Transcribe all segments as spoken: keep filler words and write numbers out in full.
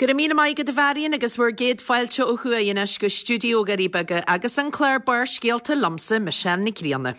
Go raibh míle maith agat a Mharion agus bhur gcéad fáilte ó thuaidh anois go stiúideo Dhoirí Beaga agus an clár Barrscéalta liomsa Michelle Nic Grianna.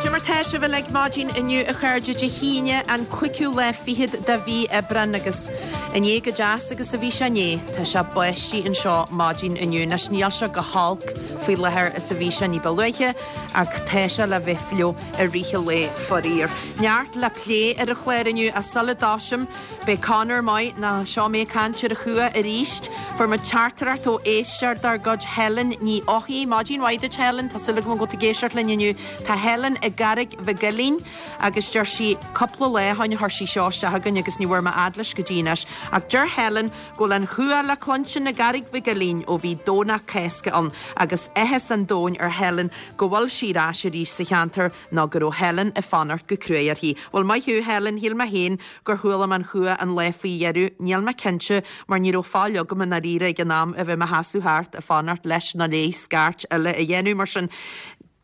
Cad é mar tá sibh uilig maidin inniu a chairde Dé hAoine an cúigiú lá fichead de mhí Aibreán agus i ndiaidh chomh deas agus a bhí sé inné tá sé báistí anseo maidin inniu. Anois níl sé chomh holc faoi láthair is a bhí sé ní ba luaithe ach tá sé le bheith fliuch i rith an lae faraor. Neart le plé ar an chlár inniu ach sula dtosaím beidh Conor maith ná seo mé ag caint ar an chumha arís. Fuair muid teachtaireacht ó éisteoir dár gcuid Helen Ní Eochaidh. Maidin mhaith duit Helen, tá súil agam go bhfuil tú ag éisteacht linn inniu. Tá Helen i gCarraig Mhic Uilinn agus deir sí cúpla lá ó shin a chuir sí seo isteach chugainn agus ní bhfuair mé fhad leis go dtí anois. Ach deir Helen go bhfuil an chumha le cluinstin i gCarraig Mhic Uilinn ó bhí Domhnach Cásca ann agus áthas an domhain ar Helen go bhfuil sí ar ais arís sa cheantar nó go raibh Helen ag fanacht go cruaidh uirthi. Bhuel maith thú Helen, shíl mé féin gur chuala mé an chumha an lá faoi dheireadh, níl mé cinnte mar ní raibh faill agam i ndáiríre ag an am a bheith i mo sheasamh thart ag fanacht leis nó léi scairt eile a dhéanamh mar sin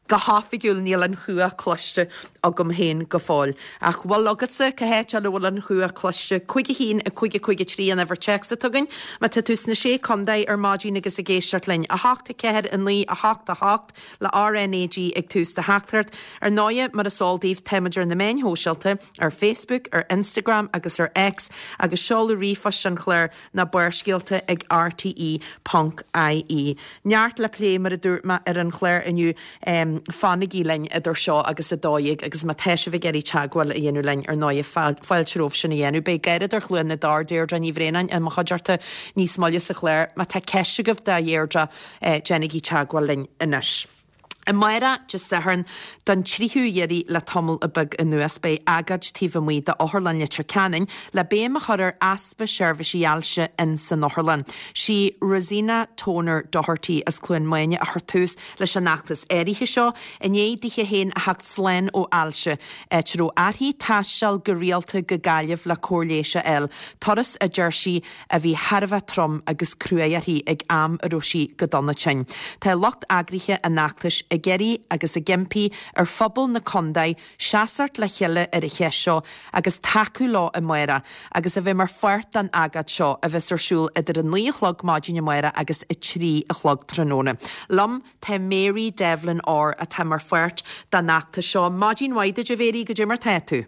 go hoifigiúil níl an chumha cloiste agam féin go fóill. Ach bhfuil agatsa cá háit eile bhfuil an chumha cloiste cúig a haon a cúig a cúig a trí an uimhir téacs atá againn, má tá tú sna sé contae ar maidin agus ag éisteacht linn, a hocht a ceathair a naoi a hocht a hocht le RNAG ag tús do theachtaireacht. Ar ndóighe mar is eol daoibh táimid ar na meáin shóisialta, ar Facebook, ar Instagram agus ar X agus seoladh ríomhphoist an chláir ná barrscéalta ag RTE ponc IE. Neart le plé mar a dúirt mé ar an chlár inniu um, fanaigí linn idir seo agus a dó dhéag agus má tá sibh ag iarraidh teagmháil a dhéanamh linn ar ndóighe fáilte romhaibh sin a dhéanamh. Beidh Gairid ar Chluain na dTor Deirdre Ní Bhraonáin i mo chuideachta níos moille sa chlár, má tá ceist agaibh do Dheirdre eh, déanaigí teagmháil linn anois. Amárach Dé Sathairn don tríú iarraidh le tamall beag anuas beidh agóid taobh amuigh d'Otharlann Leitir Ceanainn le béim a chur ar easpa seirbhísí ailse in san otharlann. Sí Rosina Toner Doherty as Cluain Maine a chuir tús leis an fheachtas áirithe seo, i ndiaidh dithe féin a theacht slán ó ailse, áit a raibh uirthi taisteal go rialta go Gaillimh le cóir leighis a fháil, turas a deir sí a bhí thar a bheith trom agus cruaidh uirthi ag am a raibh sí go dona tinn. Tá lucht eagraithe an fheachtais ag iarraidh agus ag impí ar phobal na contae seasamh le chéile ar an cheist seo agus tacú leo amárach agus a bheith mar pháirt den agóid seo a bheas ar siúl idir a naoi a chlog maidin amárach agus a trí a chlog tráthnóna. Liom tá Mary Devlin Orr atá mar pháirt den fheachtas seo. Maidin mhaith duit a Mhary cad é mar tá tú.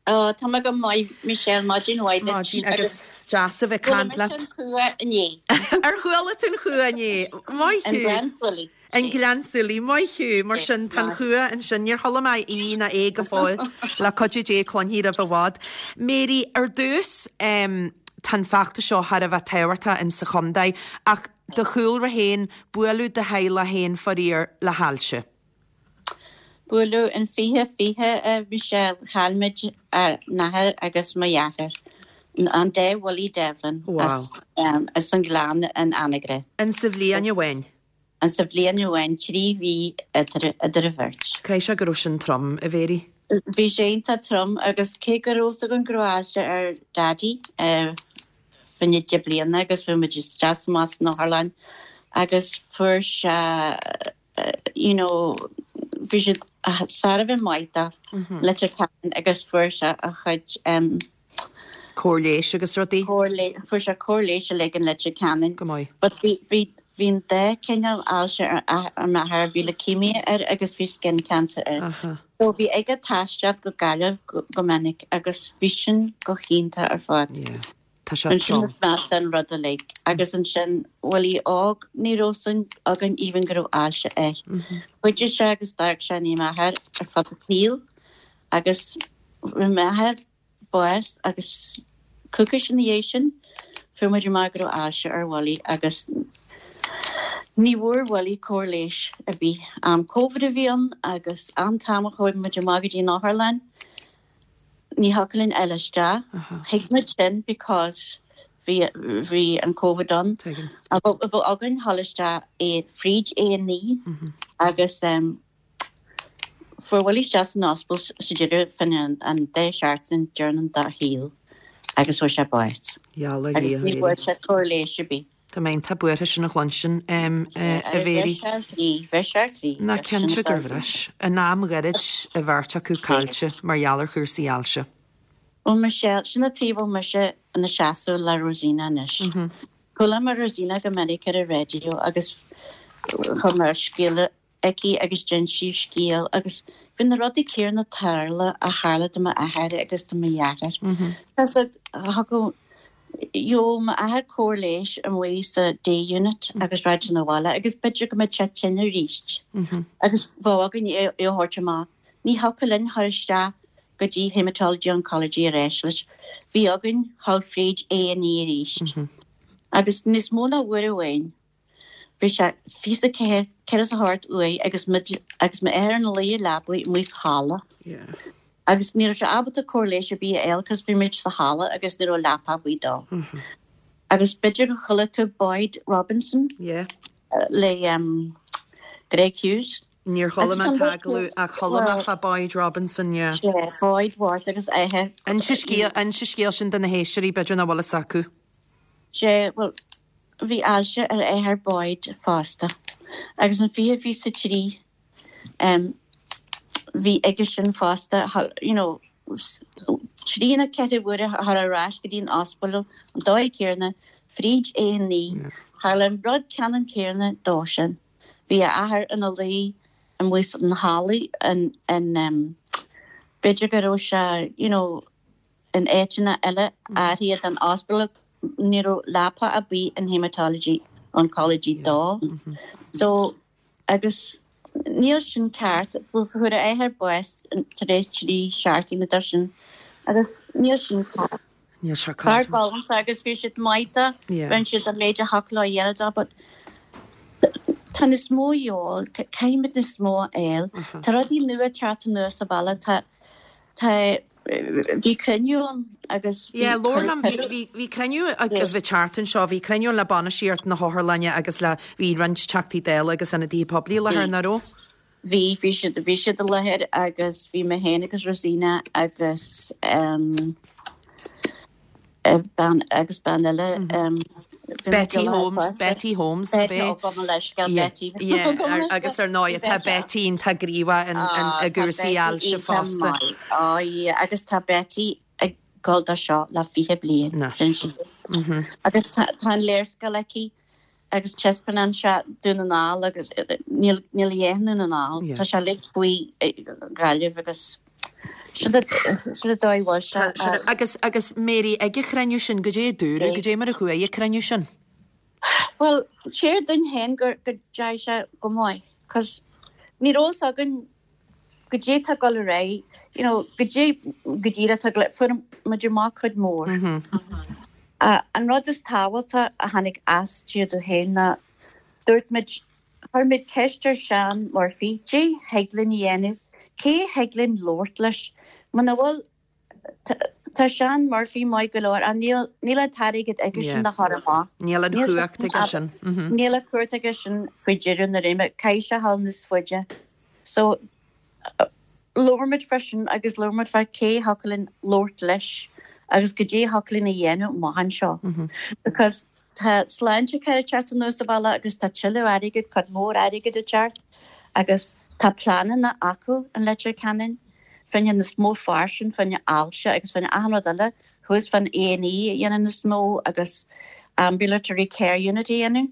Oh, Tá mé go maith Michelle maidin mhaith Maidin agus deas a bheith ag caint leat. chumha inné. Ar chuala tú an chumha inné Maith An thú. Gleann Súilí. An Gleann Súilí maith thú mar sin tá an chumha ansin níor chuala mé í ná é go fóill le cuidiú Dé cluinfidh roimh i bhfad. Mary ar dtús um, tá an feachtas seo thar a bheith tábhachtach in sa chontae ach do chúlra féin buaileadh do theaghlach féin faraor le hailse. Buaileadh in fiche fiche a Michelle chaill muid ár n-athair agus mo dheartháir. An dá Willie Devlin Wow. as, um, as an Ghleann in Anagaire. In sa bhliain amháin. An sa bhliain amháin trí mhí idir idir an bheirt. Caithfidh sé go raibh sin trom a Mhary. Bhí sé iontach trom agus cé go raibh an gráise ar Daddy uh, finne de bliana agus bhí muid isteach amach san otharlann agus fuair sé uh, you know, bhí sé sar a bheith maith Leitir Ceanainn agus fuair sé a chuid um, Cóir leighis agus rudaí fuair sé cóir leighis le in Leitir Ceanainn. go maith. But bhí bhí bhí dhá chineál ailse ar ar m'athair bhí leukemia air agus bhí skin cancer air. Aha. So bhí aige taisteal go Gaillimh go, go minic agus bhí sin go hiontach ar fad. Yeah. Tá sé An sin trom. is measa an rud uilig agus ansin Willie óg ní raibh a fhios againn even go raibh ailse air. Chuidigh sé agus d'fhág sé ní m'athair ar fud an tsaoil agus bhí m'athair bás agus coicís ina dhiaidh sin fuair muid amach go raibh ailse ar Willie agus ní bhfuair Willie cóir leighis a bhí am COVID a bhí ann agus an t-am a chuaigh muid amach go dtí an otharlann ní thiocfadh linn eile isteach thuig muid sin because bhí bhí an COVID ann Tuigim. a bh againn dul isteach é fríd A and E agus um, Fuair Willie isteach san ospidéal sa deireadh fá choinne an dá sheachtain deireanach dá shaol agus fuair sé bás. Yalla. Agus ní bhfuair sé cóir leighis ar bith. Tá mé iontach buartha sin a chluinstin a Mhéirí. Bhris sé croí. Ná cinnte gur bhris. In am ghairid a bheirt acu caillte mar gheall ar chúrsaí ailse. Bhuel Michelle, sin an tuige a bhfuil mise ina seasamh le Rosina anois. Chuala mé Rosina go minic ar an raidió agus chuir mé scéal aici agus d'inis sí scéal agus bhí na rudaí céanna tarla a tharla do m'athair agus do mo dheartháir. Tá thugadh jo m'athair cóir leighis amuigh sa day unit agus rachadh sé abhaile agus b'fhéidir go mbeadh sé tinn arís. Agus bheadh againn é a thabhairt amach. Ní thiocfadh linn chur isteach go dtí hematology oncology arís leis. Bhí againn dhul fríd A and E arís. Agus níos mó ná uair amháin. Bhí sé fiche ceathair ceithre a hocht uaidh agus agus m'athair ina luí i leabaidh amuigh sa halla. Agus ní raibh sé ábalta cóir leighis ar bith a fháil cos bhí muid sa halla agus ní raibh leapa ar bith dó. Agus b'fhéidir gur chuala tú Boyd Robinson Yeah. le um, Greg Hughes. Níor chuala mé an t-agallamh ach chuala mé fá Boyd Robinson, yeah. Sé Boyd Ward agus eithe. Inse scéal inse scéal sin do na héisteoirí b'fhéidir nach bhfuil fhios acu. Sé well bhí ailse ar athair Boyd fosta. Agus an fiche fiche trí um, bhí aige sin fosta you know, trí nó ceithre huaire thar ar ais go dtí an ospidéal an dóigh céanna fríd A and E tharla an rud ceannann céanna dó sin. Bhí a athair ina luí amuigh san halla an an um, b'fhéidir go raibh sé you know, in áiteanna eile áirithe an ospidéal ní raibh leapa ar bith in hematology oncology dó. So agus níl sin ceart fuair a athair bás tar éis trí seachtaine de sin agus níl sin ceart. Níl sé Fear galánta agus bhí siad maith Yeah. rinne siad an méid a thiocfadh leo a dhéanamh but tá níos mó eol caithfimid níos mó a fháil. Tá rudaí nua teacht anuas sa bhaile tá tá bhí cruinniú ann agus bhí Yeah, Lorna cuireadh- bhí bhí cruinniú bhí teart seo bhí cruinniú le bainistíocht na hotharlainne agus le bhí roinnt teachtaí Dála agus ionadaithe poiblí le láthair nach raibh. Bhí bhí siad bhí siad i láthair agus bhí mé féin agus Rosina agus um, eh, bean agus bean eile um, bhí muid Betty i láthair Holmes fosta. Betty Holmes Betty bé? ó gabh mo leithscéal Yeah, Betty. yeah, ar- agus ar ndóigh tá Betty tá gníomhach in Ah, i gcúrsaí ailse fosta. Á agus tá Betty ag dul do seo le fiche bliain Anois. den sí. Agus tá tá an léarscáil aici agus taispeánann sé Dún na nGall agus eh, níl níl dhéanú na ná Yeah. Tá sé le faoi eh, Gaillimh agus sin sin dóigh bhfuil sé, Tá- sin- Agus agus Mary ag an chruinniú sin go dé dúra go dé mar a chuaigh an cruinniú sin. Well, sé dún hen gur go deis sé go maith, cos ní rós agan go dé tá go ré, you know, go dé go dtíra tá le fu muidir má chud mór. Uh, an rud is tábhachtaí a tháinig as tíú héin na dúirt muid chuir muid ceist ar Seán Murphy, Dé thig linn a dhéanamh, cé thig linn labhairt leis, Muna bhfuil tá tá Seán Murphy maith go leor an níl níl an t-airgead aige sin Yeah. na chumhacht. Níl an Níl chumhacht aige sin. Mhm. Níl a chumhacht aige sin faoi dheireadh na réime caithfidh sé dhul níos faide. So uh, labhair muid freisin agus labhair muid fá cé thiocfadh linn labhairt leis agus go dé thiocfadh linn a dhéanamh amach anseo. Because tá Sláintecare ag teacht anuas sa bhaile agus tá tuilleadh airgead cuid mór airgead ag teacht agus tá pleananna acu an Leitir Ceanainn fá choinne níos mó fairsing fá choinne ailse agus fá choinne achan rud eile thuas fan A and E dhéanamh níos mó agus ambulatory care unit a dhéanamh.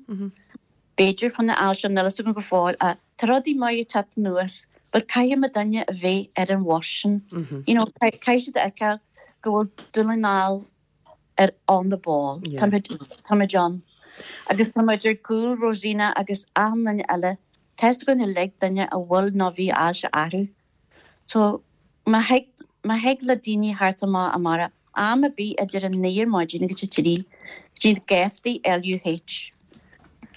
B'fhéidir fá choinne ailse níl a fhios agam go fóill a tá rudaí maith ag teacht anuas, but caithfidh muid duine a bheith ar an bhus sin. You know, caithfidh siad a fheiceáil go bhfuil Dún na nGall ar on the ball. Yeah. Tá muid tá muid ann. Agus tá muid ar gcúl Rosina agus achan duine eile. Tá go uilig duine a bhfuil nó bhí ailse orthu. So má thig má thig le daoine thart amach amárach am ar bith idir an naoi ar maidin agus a trí dtí geaftaí L U H.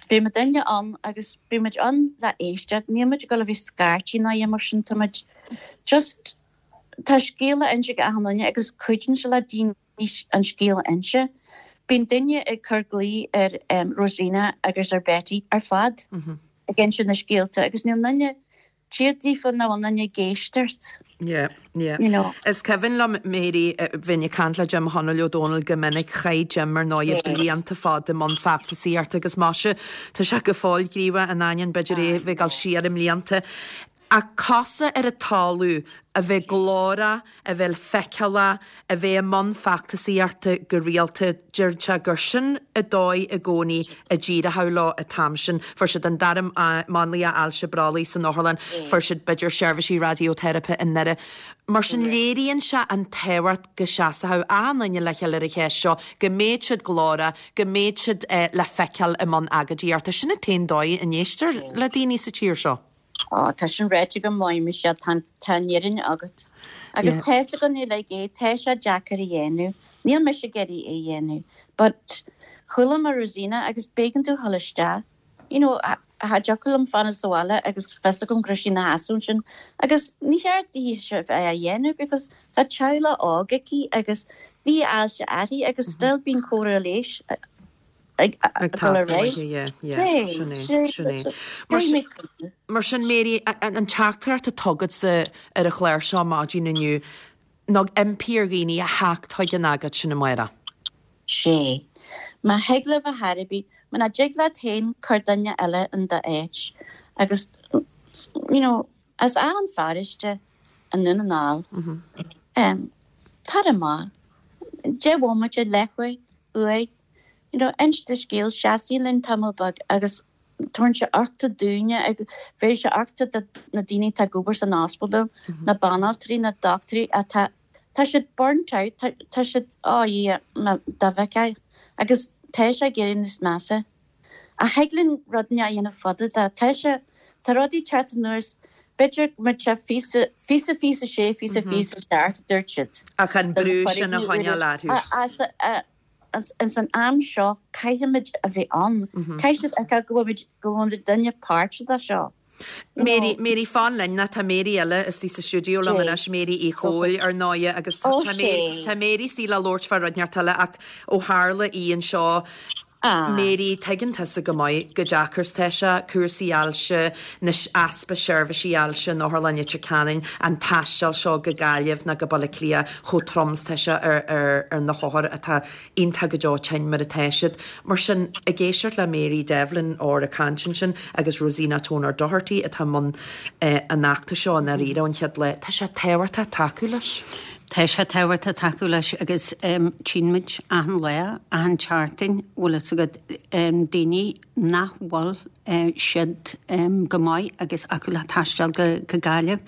Beidh muid duine ann agus beidh muid ann le éisteacht, níl muid ag dul a bheith scairtigh ná mar sin tá muid just tá scéal le inse ag achan duine agus cuidíonn sé le daoine an scéal a inse. Bíonn duine ag cur glao ar um, Rosina agus ar Betty ar fad ag inse na scéalta agus níl duine Tír daofa nach bhfuil aon duine ag éisteacht. Yeah, yeah. You know. Is cuimhin liom Mary bheinn ag caint le Jim Chonaill Ó Dónaill go minic chaith Jim ar ndóigh blianta fada i mbun feachtasaíochta agus maise tá sé go fóill gníomhach in ainneoin b'fhéidir é bheith ag dul siar i mblianta. Ach cosa ar an talamh a bheith glórach, a bheith feiceálach, a bheith i mbun feachtasaíochta go rialta, deir sé gur sin an dóigh i gcónaí a d'éireodh leo an t-am sin. Fuair siad an dara máinlia ailse brollaigh san otharlann, fuair siad b'fhéidir seirbhísí raidióteiripe i nDoire. Mar sin léiríonn sé an tábhacht go seasfadh achan duine le chéile ar an cheist seo, go mbeadh siad glórach, go mbeadh siad le feiceáil i mbun agóidíochta. Sin an t-aon dóigh a n-éistear le daoine sa tír seo. Ó, tá sin ráite go maith, Michelle, tá tá an fhírinne agat. Agus tá fhios againn uilig é, tá sé deacair a dhéanamh. Níl mise ag iarraidh é a dhéanamh. But chuala mé Rosina agus b'éigean domh dhul isteach. You know, cha dtiocfadh liom fanacht sa bhaile agus fios agam go raibh sí ina sheasamh ansin. Agus ní cheart di seo bheith á dhéanamh because tá teaghlach óg aici agus bhí ailse uirthi agus still bíonn cóireáil leighis ag dul ar aghaidh. Mar sin Mary, an teachtaireacht atá agatsa ar an chlár seo maidin inniu ná impí ar dhaoine a theacht chuig an agóid sin amárach. Sé. Má thig libh a thairbhí, muna dtig leat féin cuir duine eile in d'áit. Agus you know, as achan pharóiste i nDún na nGall. Um, tar amach. Deich mbomaite leathuair uair you know, inis do scéal seasaigí linn tamall beag agus tabharann sé uchtach dúinne agus bheir sé uchtach do na daoine atá ag obair san ospidéal, na banaltraí, na dochtúirí atá tá siad burnt out, tá, tá siad oh yeah, dá bhfeicfeá agus tá sé ag éirí níos measa. Ach thig linn rudaí a dhéanamh fada de tá sé tá rudaí teacht anuas b'fhéidir go mbeidh sé fiche fiche fiche sé fiche fiche seacht dúirt siad. Ach an brú sin a choinneáil orthu. As ins an am seo caithfimid a bheith ann. Caithfidh siad a go bhfuil go bhfuil duine páirteach de seo. Mary, Mary fan linn tá Mary eile istigh sa stiúideo liom anois Mary Uí Chomhaill ar ndóigh agus tá Mary tá Mary istigh le labhairt fá rud inteacht eile ach ó tharla í anseo Mary tuigeann tusa go maith chomh deacair is tá sé cúrsaí ailse anois easpa seirbhísí ailse in Otharlann Leitir Ceanainn an taisteal seo go Gaillimh nó go Baile Átha Cliath chomh trom is tá sé ar, ar, ar na hothair atá iontach go deo tinn mar atá siad. Mar sin ag éisteacht le Mary Devlin ó a caint sin agus Rosina Toner Doherty atá mbun eh, an fheachtais seo an aríra an chéad lá, Tá sé tábhachtach tacú leis. Tá sé tábhachtach tacú leis agus um, tchímid achan lá achan tseachtain bhfuil fhios agat um, daoine nach bhfuil uh, siad um, go maith agus acu le taisteal go, go Gaillimh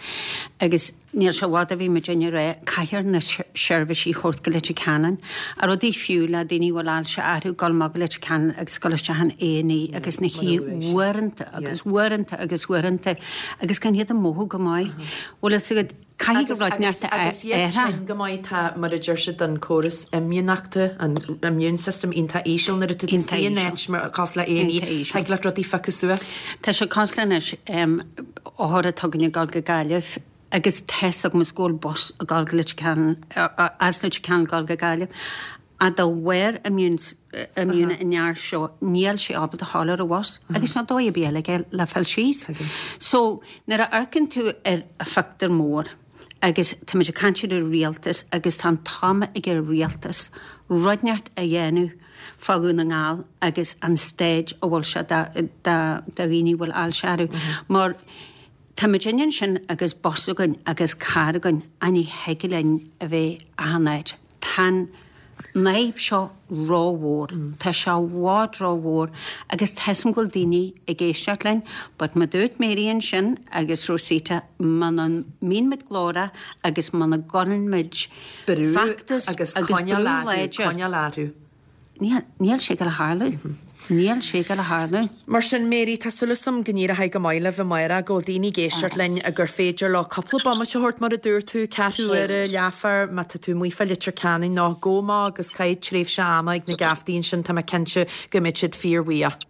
agus níl sé i bhfad a bhí muid ag rá caithfear na seirbhísí a thabhairt go Leitir Ceanainn a rudaí fiú le daoine bhfuil ailse orthu dul amach go Leitir Ceanainn agus dul isteach in A&E agus na hí uaireanta agus uaireanta agus uaireanta agus gan iad ag mothú go maith. Bhfuil fhios agat caithfidh go rud neart agus iad go maith tá mar a deir siad an córas imdhíonachta an immune system iontach íseal nuair atá tú in áit mar cosúil le A&E thig le rudaí phiocadh suas. Tá sé cosúil anois othar atá ag dul go Gaillimh agus tá fhios agam go bhfuil bus ag dul go Leitir Ceanainn as Leitir Ceanainn dul go Gaillimh. A dá bharr immune immune an fhear seo níl sé ábalta a ghabháil ar an bhus agus ná dóigh ar bith eile le fáil síos. So nuair a amharcann tú ar a phictiúr mór agus tá muid ag caint ar an rialtas agus tá an t-am ag an rialtas rud inteacht a dhéanamh fá Dhún na nGall agus an staid a bhfuil sé do dhaoine bhfuil ailse orthu. Mar tá muid ansin agus bus againn agus carr againn a ní thig linn a bheith achan áit. Tá an fhadhb seo rómhór, Tá sé i bhfad rómhór agus tá fhios agam go bhfuil daoine ag éisteacht linn, but mar dúirt Mary ansin agus Rosita muna mbíonn muid glórach agus muna gcuireann muid Brú feachtas agus agus brú coinneáil orthu, láidir. coinneáil orthu. Níl níl sé go tharlú. Níl sé go tharlú. Mar sin Mary tá súil agam go n-éireoidh go maith libh amárach go bhfuil daoine ag éisteacht linn a gur féidir leo cúpla bomaite a thabhairt mar a dúirt tú ceathrú uaire leathuair má tá tú amuigh fá Leitir Ceanainn nó gabh amach agus caith tréimhse ama ag na geaftaí ansin tá mé cinnte go mbeidh siad fíorbhuíoch.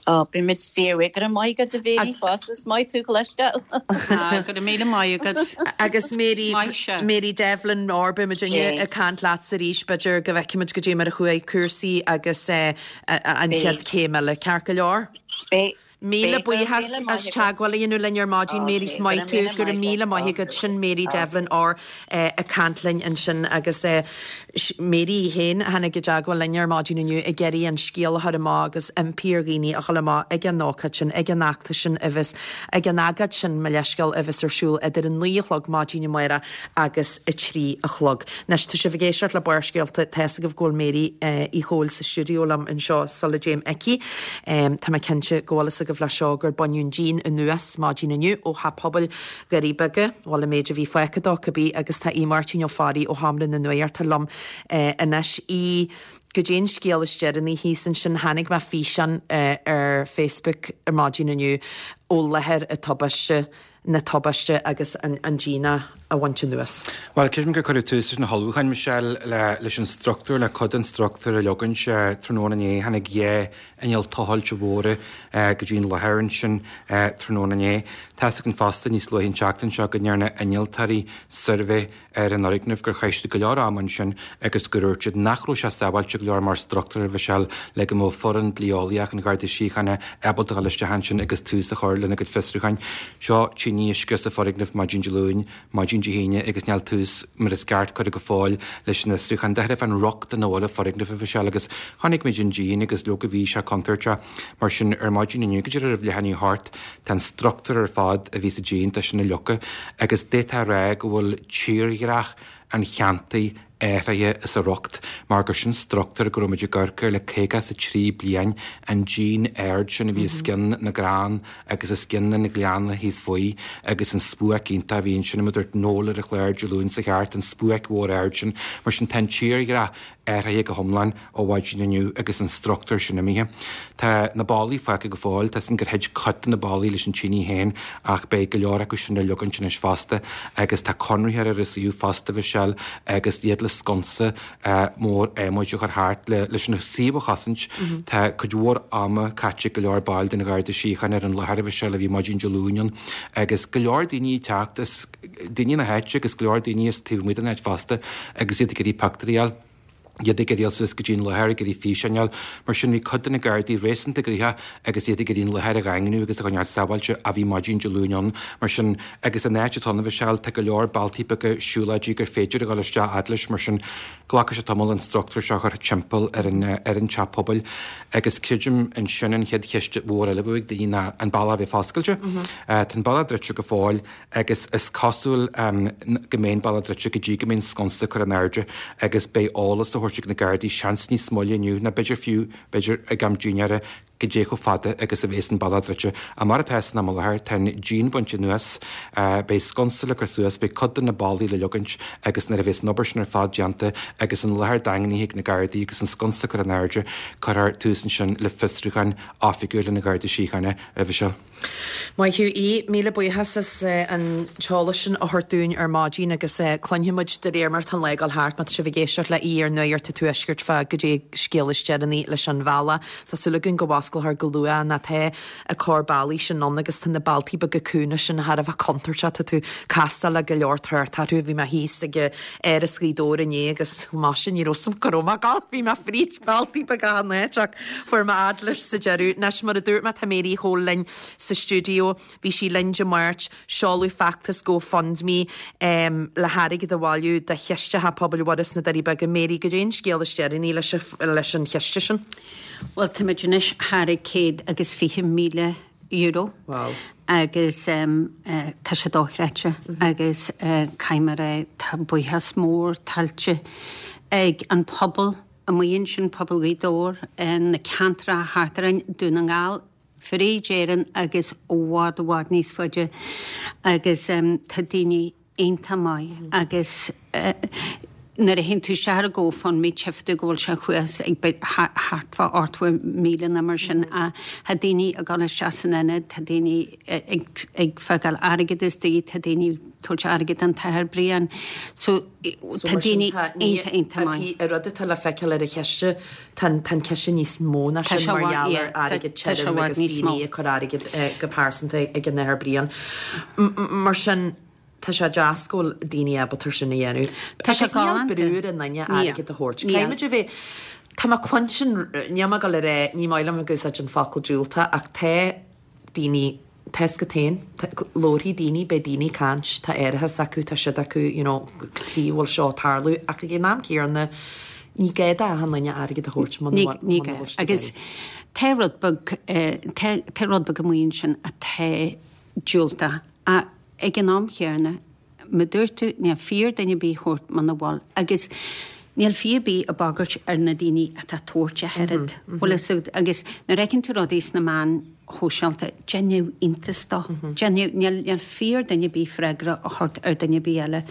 Ó beimid fíorbhuíoch go raibh maith agat a Mhary fosta is maith tú cloisteáil. Go raibh míle maith agat. Agus Mary Maith se. Mary Devlin or beimid Yeah. ag caint leat arís b'fhéidir go bhfeicfimid go dtí mar a chuaigh cúrsaí agus eh, a- a- an Beidh. chéad chéim eile ceart go leor. Beidh Míle buíochas as teagmháil a dhéanamh linn ar maidin Mary is maith tú go raibh míle maith agat sin Mary Devlin or ag caint linn ansin agus Mary í féin a tháinig i dteagmháil linn ar maidin inniu ag iarraidh an scéal a chur amach agus impí ar dhaoine a dhul amach ag an ócáid sin, ag an fheachtas sin a bheas, ag an agóid sin, mo leithscéal, a bheas ar siúl idir a naoi a chlog maidin amárach agus a trí a chlog. Anois, tá sibh ag éisteacht le Barrscéalta, tá fhios agaibh go bhfuil Mary Uí Chomhaill sa stiúideo liom anseo sula dtéim aici. Tá mé cinnte go bhfuil fhios agaibh leis seo gur baineadh an díon anuas maidin inniu ó Theach Pobail Dhoirí Beaga, bhuel an méid a bhí fágtha dó cibé, agus tá Aodh Máirtín Ó Fearraigh ó Sheomra na Nuachta liom anois. Aodh, goidé an scéal is deireanaí thíos ansin, chonaic mé físeán ar Facebook ar maidin inniu ó láthair an tubaiste, na tubaiste agus an díon a bhaint anuas. Bhuel, creidim gur cuireadh tús leis na hullmhúcháin, Michelle, le, leis an struchtúr, le cuid den struchtúr a leagaint tráthnóna inné. Tháinig dhá inneall tochailte mhóra go dtí an láthair ansin tráthnóna inné. Tá's againn fosta níos luaithe an tseachtain seo go ndearna innealtóirí suirbhé ar an fhoirgneamh, gur chaith siad go leor ama ansin agus gur dhúirt siad nach raibh sé sábháilte go leor mar struchtúr, a Mhichelle, le go mbeadh foireann dlí-eolaíoch an Gharda Síochána ábalta dul isteach ansin agus tús a chur lena gcuid fiosrúcháin. Seo tine uisce sa foirgneamh maidin Dé Luain, maidin Dé hAoine agus níl tús mar is ceart curtha go fóill leis an fhiosrúchán. D'fhéadfadh an rochtain a bhfuil an foirgneamh a Mhichelle agus chonaic muid an díon agus leoga bhí sé contúirteach. Mar sin ar maidin inniu go dtí roimh leath i ndiaidh a hocht tá an struchtúr ar fad a bhí sa díon, tá sin á leagan agus d'fhéadfá a rá go bhfuil tírdhreach an cheantair athraithe as a riocht mar gur sin struchtúr go raibh muid ag amharc air le caoga is a trí bliain, an díon ard sin a bhí os cionn na gcrann agus os cionn an ghleanna thíos faoi agus an spuaic iontach a bhí ansin, mar a dúirt Noel ar an chlár Dé Luain seo chuaigh thart, an spuaic mhór ard sin. Mar sin tá an tírdhreach athraithe go hiomlán ó mhaidin inniu agus an struchtúr sin imithe. Tá na ballaí fágtha go fóill, tá 'fhios againn gur thit cuid de na ballaí leis an tine féin ach beidh go leor acu sin le leagaint anois fosta agus tá conraitheoir ar an suíomh fosta, a Mhichelle, agus iad le sconsa mór adhmaid a chur thart leis an suíomh a chosaint. Tá cuid mhór ama caite ag go leor baill den Gharda Síochána ar an láthair, a Mhichelle, a bhí maidin Dé Luain ann agus go leor daoine ag teacht as daoine na háite agus go leor daoine as taobh amuigh den áit fosta agus iad ag iarraidh pictiúirí a fháil. iad ag iarraidh dul suas go dtí an láthair, ag iarraidh físeáin a fháil. Mar sin bhí cuid de na Gardaí réasúnta gnoitheach agus iad ag iarraidh an láthair a dhaingniú agus a choinneáil sábháilte a bhí maidin Dé Luain ann. Mar sin, agus an áit atá ann, a Mhichelle, tá go leor bealtaí beaga siúlóidí gur féidir a dhul isteach fhad leis, mar sin glacfaidh sé tamall an struchtúr seo a chur timpeall ar an ar an teach pobail. Agus creidim ansin an chéad cheist mhór eile a bheadh ag daoine ná an bealach a bheith foscailte. Tá an bealach druidte go fóill agus is cosúil go mbeidh an bealach druidte go dtí go mbeidh an sconsa curtha in airde agus beidh eolas á thabhairt ag na Gardaí, seans níos moille inniu nó b'fhéidir fiú, b'fhéidir ag am dinnéara, goidé chomh fada agus a bhéas an bealach druidte. Ach mar atá san am i láthair, tá an díon bainte anuas, beidh sconsa le cur suas, beidh cuid de na ballaí le leagaint agus nuair a bhéas an obair sin ar fad déanta agus an láthair daingnithe ag na Gardaí agus an sconsa curtha in airde, cuirfear tús ansin le fiosrúchán oifigiúil an Gharda Síochána roimhe seo. Maith thú Aodh, míle buíochas as an t-eolas sin a thabhairt dúinn ar maidin agus cluinfidh muid de réir mar atá an lá ag dul thart má tá sibh ag éisteacht le Iar-Nuacht an Tuaiscirt fá goidé scéal is deireanaí leis an bhealach. Tá súil againn go bhfosclófar go luath nó tá an corr bealaí sin ann agus tá na bealtaí beaga cúnga sin thar a bheith contúirteach, tá tú ag castáil le go leor trácht orthu. Bhí mé thíos ag Áras Ghaoth Dobhair inné agus maise ní raibh 's a'm cá raibh mé ag dul, bhí mé fríd bealtaí beaga achan áit ach fuair mé fhad leis sa deireadh. Anois mar a dúirt mé tá Mary Uí Chomhaill linn sa stiúideo. Bhí sí linn Dé Máirt, seoladh feachtas GoFundMe le hairgead a bhailiú do chiste Theach Pobail Mhuire sna Doirí Beaga. Mary, goidé an scéal is deireanaí leis an chiste sin? Bhuel, táimid anois thar ag céad agus fiche míle euro. Wow. Agus tá sé dochreidte agus caithfidh mé a rá, tá buíochas mór tuillte ag an pobal amuigh ansin, pobal Ghaoth Dobhair, na ceantracha thart orainn, Dún na nGall, fríd Éirinn agus i bhfad i bhfad níos faide agus tá daoine iontach maith agus nuair a théann tú isteach ar GoFundMe tchífidh tú go bhfuil sé thuas ag thart fá ochtó míle nó mar sin ach tá daoine ag dul isteach san ionad, tá daoine ag ag fágáil airgead istigh, tá daoine ag tabhairt airgead don tAthair Brian so tá daoine iontach iontach maith. An rud atá le feiceáil ar an chiste, tá an ciste níos mó ná sin mar gheall ar airgead tirim agus daoine ag cur airgead go pearsanta ag an Athair Brian. Mar sin, tá sé deas go bhfuil daoine ábalta sin a dhéanamh. Tá sé Agus níl galánta. brú ar an duine airgead a thabhairt. Caithfidh muid a bheith, tá mé cluinstin, níl mé ag dul a rá, ní maith liom ag úsáid an focal diúltach ach tá daoine tá 'fhios agat féin, labharfaidh daoine, beidh daoine ag caint, tá árachas acu, tá siad acu, you know, cad chuige a bhfuil seo ag tarlú, ach ag an am céanna, ní gá d'achan duine airgead a thabhairt muna Ní bhfuil ní muna gá. bhfuil siad ag Agus iarraidh. tá rud beag eh, tá tá rud beag amuigh ansin atá diúltach ach ag an am chéanna, mar dúirt tú, níl fiú ar duine ar bith thabhairt muna bhfuil agus níl fiú ar bith ag bagairt ar na daoine atá ag tabhairt ach oiread. Bhfuil fhios agat agus nuair a fheiceann tú rudaí sna meáin shóisialta, déanamh iontas dó. Déanamh níl níl fiú ar duine ar bith freagra a thabhairt ar duine ar bith eile.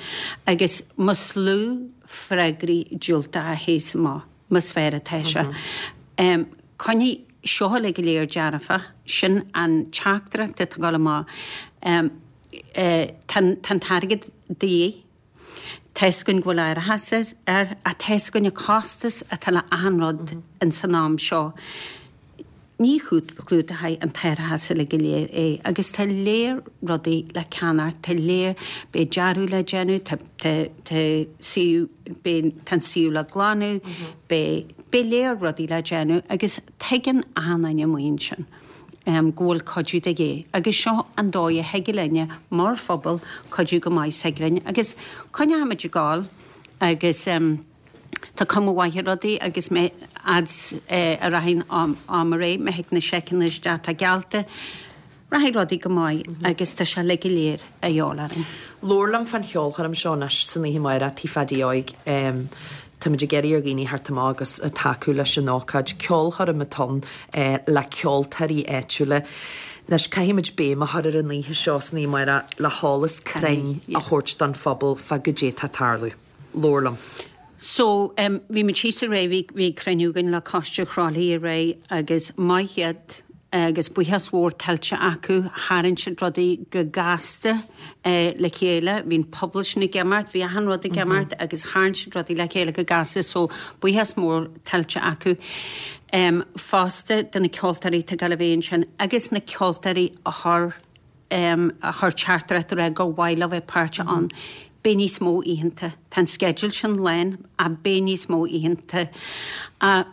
Agus más lú freagraí diúltacha a théas amach, más fearr atá sé. Um, Coinnigh seo uilig go léir dearfa, sin an teachtaireacht atá ag dul amach. Um, eh, tá an t-airgead de dhíth, Tá 'fhios againn go bhfuil árachas air, ach tá 'fhios againn an costas atá le achan rud in san am seo. Ní chlúdóidh an t-árachas uilig go léir é, agus tá léir rudaí le ceannacht, tá léir beidh dearadh le déanamh, tá tá tá suíomh beidh tá an suíomh le glanadh, beidh beidh léir rudaí le déanamh agus tuigeann achan duine amuigh ansin. Um, go bhfuil cuidiú de dhíth. Agus seo an dóigh a thig linne mar phobal cuidiú go maith s'againn agus coinneoimid ag gabháil agus um, tá cuma mhaith ar rudaí agus mé ads eh, a rachaidh am am aré me thig na seiceanna isteach tá geallta rachaidh rudaí go maith agus tá sé le go léir a dheol orainn. Labhair liom fán cheolchoirm seo anois san oíche amárach Tigh Phaddy Óig. Um, Táimid ag iarraidh ar dhaoine theacht amach agus tacú leis an ócáid ceolchoirm atá ann eh, le ceoltóirí áitiúla. Anois caithfimid béim a chur ar an oíche seo san oíche amárach le heolas cruinn a thabhairt don phobal fá goidé atá ag tarlú. Labhair liom. So um, bhí muid síos aréir bhí bhí cruinniú againn le Coiste Thrá Lí aréir agus maith iad agus buíochas mhór tuillte acu tharraing siad rudaí go gasta eh, le chéile, bhí an pobal sin ag imeacht, bhí achan rud ag imeacht agus tharraing siad rudaí le chéile go gasta, so buíochas mór tuillte acu. Um, fosta do na ceoltóirí tá go bhí sin agus na ceoltóirí a chur um, a chur teachtaireacht rá gur mhaith leo bheith páirteach ann. Beidh níos mó oícheanta. Tá an sceideal sin lán a beidh níos mó oícheanta. A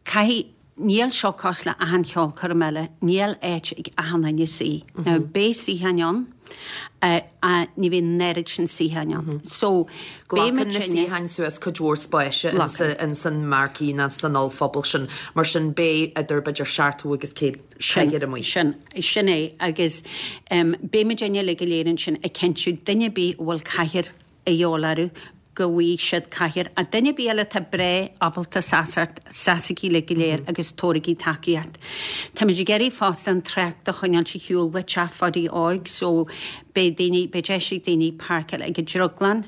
caithfidh níl seo cosúil le achan cheolchoirm eile, níl áit ag achan duine suí. Now beidh suíocháin ann, uh, a ní bhíonn an oiread sin suíocháin ann. So Glacann na suíocháin suas cuid mhór spáis in san marquee ná san ollphuball sin, mar sin beidh idir b'fhéidir seachtó agus céad cathaoir amuigh. Sin, sin é agus um, beimid uilig go léir ansin ag cinntiú duine ar bith a bhfuil cathaoir a dhíobháil orthu go bhfaighidh siad cathaoir a duine ar bith eile tá breá ábalta seasamh seasaigí le go léir agus tabhairigí tacaíocht. Táimid ag iarraidh fosta an trácht a choinneáil ar shiúl ó Teach Phadaí Óig, so beidh daoine beidh deis ag daoine páirceáil ag an drioglann,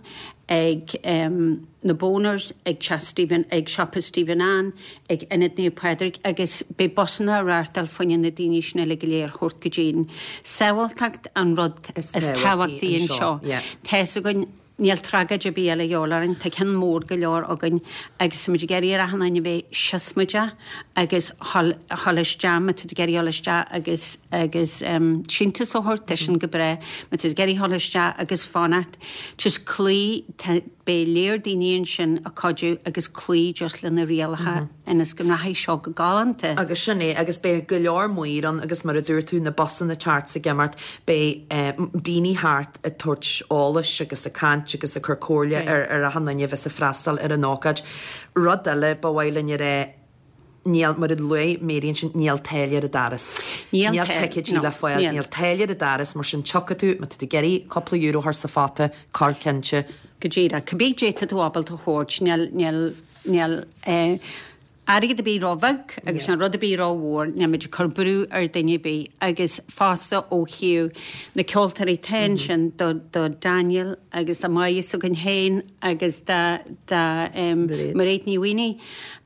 ag um, na Boners, ag Teach Stephen, ag Siopa Stephen Ann, ag Ionad Naomh Pádraig agus beidh busanna á reáchtáil fá choinne na daoine sin uilig go léir a thabhairt go dtí. Sábháilteacht an rud Is is tábhachtaí tábhachtaí anseo, anseo. yeah. Tá 'fhios againn níl tragóid ar bith eile a dhíobháil orainn, tá ceann mór go leor againn agus muid ag iarraidh ar achan duine bheith siosmaideach agus dhul dhul isteach, má tá tú ag iarraidh dhul isteach agus agus um, síntiús a thabhairt, tá sin go breá, má tá tú ag iarraidh dhul isteach agus fanacht, just cloí tá- beidh léir daoine ansin ag cuidiú agus cloí just le na rialacha ionas go rachaidh seo go galánta. Agus sin é agus beidh go leor maor ann agus mar a dúirt tú na busanna thart ag imeacht beidh eh, daoine thart ag tabhairt eolais agus ag caint agus ag cur comhairle ar ar achan duine a bheas ag freastal ar an ócáid. Rud eile ba mhaith linn a rá níl mar a luaigh Mary ansin níl táille ar an doras. Níl Níl táille, ticéidí no, le fáil, níl. níl táille ar an doras mar sin tiocfaidh tú má tá tú ag iarraidh cúpla euro a chur sa phota cuir cinnte. Go díreach, cibé tá tú ábalta a thabhairt, níl níl níl eh, airgead ar bith róbheag agus an rud ar bith rómhór, níl muid ag cur brú ar duine ar bith agus fosta ó thaobh na ceoltóirí atá ansin do, do Daniel agus do Mhaighe againn féin agus da, da um, Mairéad. Mairéad Ní Mhaonaigh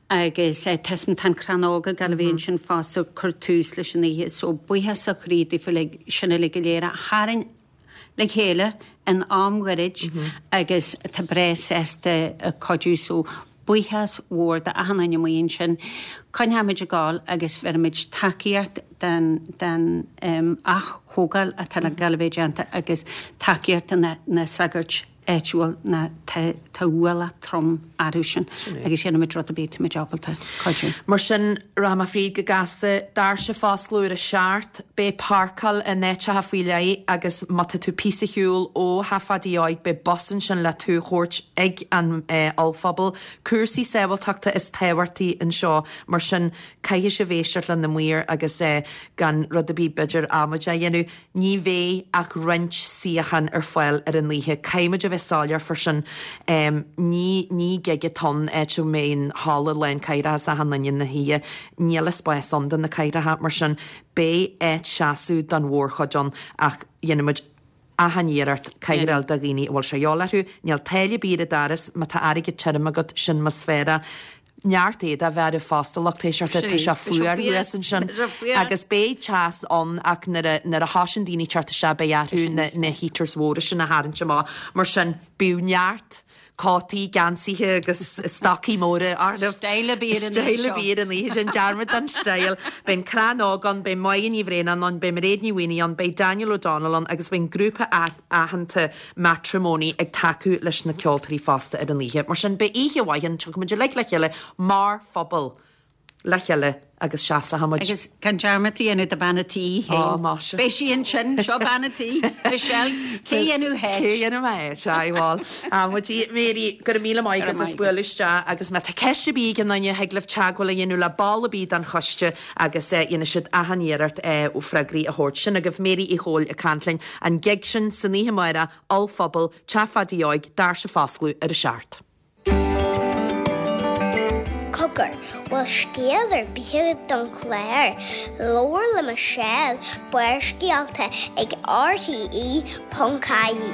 agus eh, Tesman tan cranóga gan a bhíonn sin fosta cur tús leis an oíche, so buíochas ó chroí daofa le sin uilig go léir a tharraing le chéile in am gairid agus tá breá sásta ag cuidiú so buíochas mhór do achan duine amuigh ansin. Coinneoimid ag gabháil agus bheirfimid tacaíocht den den um, aththógáil atá le gabháil a bheith déanta agus tacaíocht na, na sagairt áitiúil na tá Tá ualach trom orthu sin agus dhéanfaimid rud ar bith táimid ábalta cuidiú. Mar sin rachaidh mé fríd go gasta, doirse ag foscladh ar a seacht, beidh páirceáil in áiteacha faoi leith agus má tá tú píosa ar shiúl ó Theach Phaidí Óig beidh bus ansin le tú a thabhairt ag an ollphuball. Cúrsaí sábháilteachta is tábhachtaí anseo, mar sin caithfidh sibh éisteacht le na maoir agus gan rud ar bith b'fhéidir amaideach a dhéanamh. Ní bheidh ach roinnt suíochán ar fáil ar an oíche. Caithfidh muid a bheith soiléir fá sin. Ní ní gig atá ann áit a mbeidh an halla lán cathaoireacha is achan duine ina shuí. Níl an spás ann do na cathaoireacha, mar sin beidh áit seasamh don mhórchuid ann ach dhéanfaidh muid achan iarracht cathaoir a fháil do dhaoine a bhfuil sé a dhíobháil orthu. Níl táille ar bith ar an doras, má tá airgead tirim agat, sin níos fearr é. Neart éadaigh a bheith oraibh fosta, lucht éisteachta, tá sé fuar thuas ansin agus beidh teas ann ach nuair a nuair a thosaíonn daoine teacht isteach beidh orthu na na heaters mhóra sin a tharraingt amach. Mar sin, bíodh neart cótaí, geansaithe agus stocaí móra oraibh. Style ar bith ar an oíche Style seo. ar bith ar an oíche, déan dearmad den style. Beidh an Crann Óg ann, beidh Máire Ní Bhraonáin ann, beidh Mairéad Ní Mhaonaigh ann, beidh Daniel O'Donnell ann agus beidh an grúpa aitheanta Matrimony ag tacú leis na ceoltóirí fosta ar an oíche. Mar sin, beidh oíche mhaith ann, tiocfaidh muid uilig le chéile mar phobal le chéile agus seasfaidh muid. Agus gan dearmad a dhéanamh de bhean a' tí Ó, féin. maise. Beidh sí ansin, seo bean a' tí, Michelle, cé dhéanamh Cé het? dhéanamh mé é, sea, bhuel. Amaidí, Mary, go raibh míle maith Go raibh agat as maith agat. bualadh isteach agus má tá ceist ar bith ag aon duine thig libh teagmháil a dhéanamh le ball ar bith den choiste agus eh, dhéanfaidh siad achan iarracht eh, freagraí a thabhairt. Sin agaibh Mary Uí Chomhaill ag caint linn an gig sin san oíche amárach, Ollphuball, Teach Phaidí Óig, doirse ag foscladh ar a seacht. Cogar, bhfuil scéal ar bith agat don chlár, labhair le Michelle Barrscéalta ag RTE ponc ie.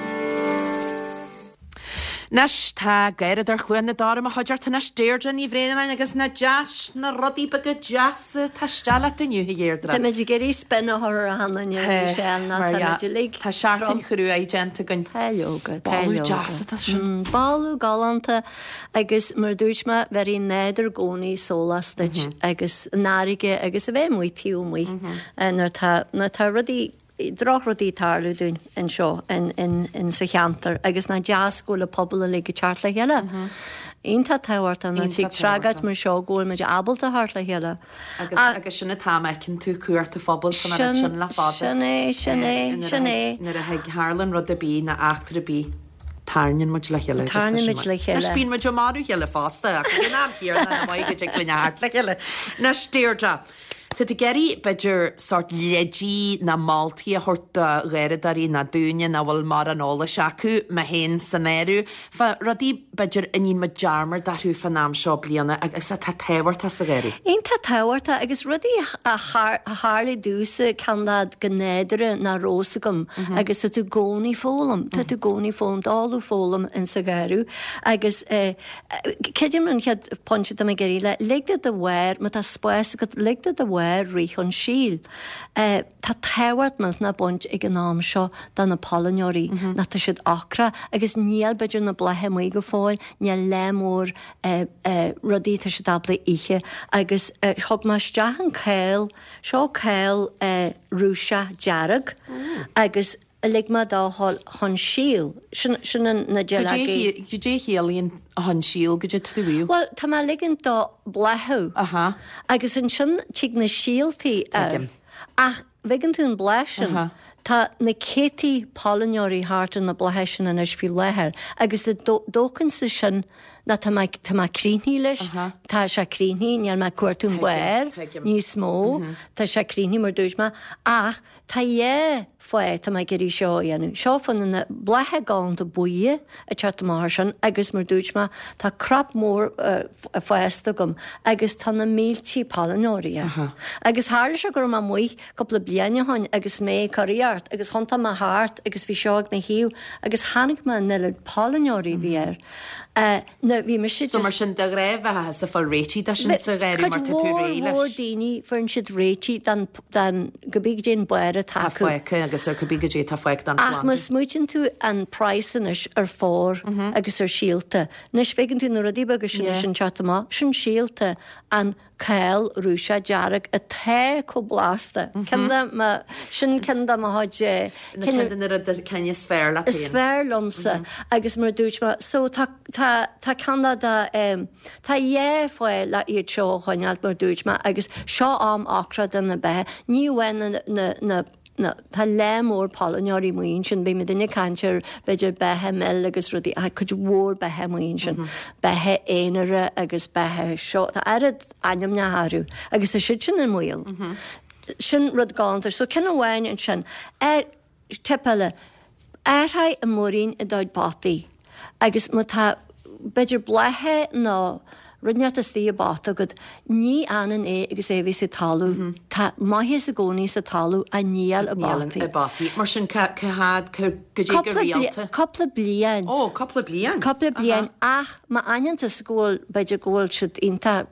Anois tá Garradóir Chluain na Dara i mo chuideachta anois Deirdre Ní Bhraonáin agus na deas na rudaí beaga deasa tá isteach leat inniu a Dheirdre. Tá muid ag iarraidh spin a chur ar achan duine Michelle ná tá muid uilig Tá seachtain chrua déanta againn. Tá leoga, tá Boladh leoga. deas atá sin. Mm, Boladh galánta agus mar dúirt mé bheireann nádúr i gcónaí sólás duit Mhm. agus an fharraige agus a bheith amuigh taobh amuigh eh, nuair tá nuair tá rudaí drochrudaí tarlú dúinn anseo in, in, in sa cheantar agus nach deas go bhfuil an pobal uilig ag teacht le chéile. Iontach tábhachtach ná Iontach trí tragóid tábhachtach. mar seo go bhfuil muid ábalta theacht le chéile. Agus agus sin atá feiceann tú cuairt a phobal san Sin- sin le fada. sin é, sin é, sin é. Nuair a thig tharlaíonn rud ar bith ná eachtra ar bith tarraingíonn muid le chéile. agus tá Tarraingíonn sin muid le maith. chéile. Anois bíonn muid ag marú chéile fosta ach ag an am céanna na maith go dtig linn theacht le chéile. Anois Deirdre, Tá tú ag iarraidh b'fhéidir sórt leidí ná moltaí a thabhairt do gharradóirí ná daoine nach bhfuil mórán eolais acu mé féin san áireamh. Fá rudaí b'fhéidir a ndéanann muid dearmad orthu fán am seo bliana agus atá tábhachtach sa gheimhreadh. Iontach tábhachtach agus rudaí a thar- a tharla domhsa ceann go nádúrtha nach raibh fhios agam agus tá tú i gcónaí ag foghlaim, Tá tú i gcónaí ag foghlaim dálú foghlaim in sa gheimhreadh agus eh, creidim an chéad pointe atá mé ag iarraidh le lig do do bharr má tá spás agat lig do do bharr rith chun síl. Eh, tá tábhacht millteanach baint ag an am seo do na pailneoirí nach tá siad ocrach agus níl b'fhéidir na blátha amuigh go fóill, níl le mór eh, eh, rudaí tá siad ábalta ithe agus eh, thug mé isteach an céil seo céil eh, Rúiseach dearg agus lig mé dó dhul chun síl sin sin an- na duilleogaí. Goidé a chiallaíonn chun síl goidé tú bhí? Well, tá mé ligint dó bláthú. Aha. Agus ansin tig na síoltaí Tuigim. Ach bhfeiceann tú an bláth sin. Aha. Tá na céadtaí pailneoirí thart ar na blátha sin anois faoi láthair, agus dóchan sa sin ná tá mé tá mé críochnaithe leis, Aha. tá sé críochnaithe, níl mé ag cuartú an Tuigim, barr tuigim. níos mó, tá sé críochnaithe mar dúirt mé, ach tá dhá fáth tá mé ag iarraidh seo a dhéanamh. Seo fan na blátha galánta buí ag teacht amach sin agus mar dúirt mé tá crop mór uh, fásta agam agus tá na míltí pailneoirí. Aha. Agus tharla sé go raibh mé amuigh cúpla bliain ó shin agus mé ag curaíocht agus thiontaigh mé thart agus bhí seo ag mo thaobh agus tháinig mé an oiread pailneoirí bhí air. Uh, na bhí mise So mar sin de ghnáth bheith sa fáil réitigh de sin sa gheimhreadh mar tá tú réidh mór leis. daoine fuair siad réitigh dan dan go bí dé baire Tá tacu. fágtha agus ar cibé goidé tá fágtha den Ach má smaoitíonn tú an price anois ar phár agus ar síolta. Anois feiceann tú na rudaí beaga sin Yeah. sin teacht amach, sin síolta an Cál Rúiseach dearg atá chomh blasta. Ceann de mo, sin ceann de mo chuid, Na ceann de na rudaí cinn is fearr leat is féin. fearr liomsa agus mar a dúirt mé, so tá, tá, tá ceann de de, em, tá dhá fáth le iad seo a choinneáilt mar a dúirt mé agus seo am ocra do na beithe. Ní amháin na, na, na, na, tá lear mór pailneoirí amuigh ansin, beidh muidinne ag caint ar b'fhéidir beithe mil agus rudaí, ach cuid mhór beithe amuigh ansin, beithe aonaire agus beithe seo, tá oiread ainmneacha orthu agus tá siad sin i mbaol. Sin rud galánta. So ceann amháin ansin, ar, tip eile, athraigh an muirín i do chuid potaí agus má tá b'fhéidir bláth nó rud inteacht istigh i bpota agat, ní fhanann é agus é a bheith sa talamh. Tá maitheas i gcónaí sa talamh ach níl i bpotaí. I bpotaí. Mar sin cá fhad, goidé go Cúpla rialta? Cúpla bliain. Ó, cúpla bliain. Cúpla bliain ach má aithníonn tusa go bhfuil, b'fhéidir go bhfuil siad iontach,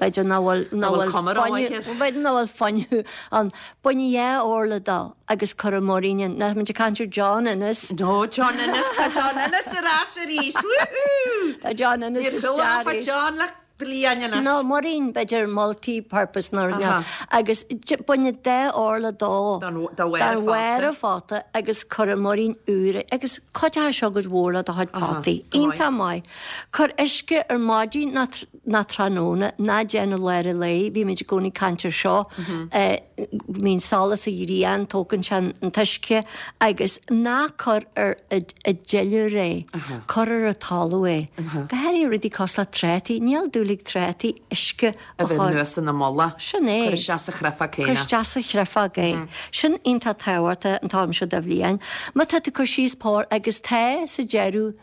b'fhéidir nach bhfuil, nach bhfuil bhfuil cuma fuinneamh, rómhaith air. b'fhéidir nach bhfuil fuinneamh ann. Bain dhá orla dó agus cuir an muirín ann. Nach muid ag caint ar John Ennis? No, John Ennis, tá John Ennis ar ais arís. Woohoo! Tá John Ennis Níor chuala isteach mé fá arís. John le bliain anois. No, muirín, b'fhéidir multi-purpose nó rud Aha. Agus bain dhá orla dó. Don- dá bharr Dá phota. bharr an phota agus cuir an muirín úr agus cuideoidh seo go mór le do chuid potaí. go maith. Iontach maith. Cuir uisce ar maidin ná tr- ná tráthnóna, ná déan i lár an lae, bhí muid i gcónaí ag caint ar seo, eh, mbíonn solas an ghrian, tógann sé an an t-uisce agus ná cuir ar a a duilliúr é, cuir ar an talamh é. Go háirithe rudaí cosúil le trátaí, níl dúil ag trátaí uisce A a bheith chur. anuas ina mullach. Sin é. Cuir isteach sa chreafach Cuir céanna. isteach sa chreafach é. Sin iontach tábhachtach an t-am seo de bhliain. Má tá tú ag cur síos pór agus tá sa deireadh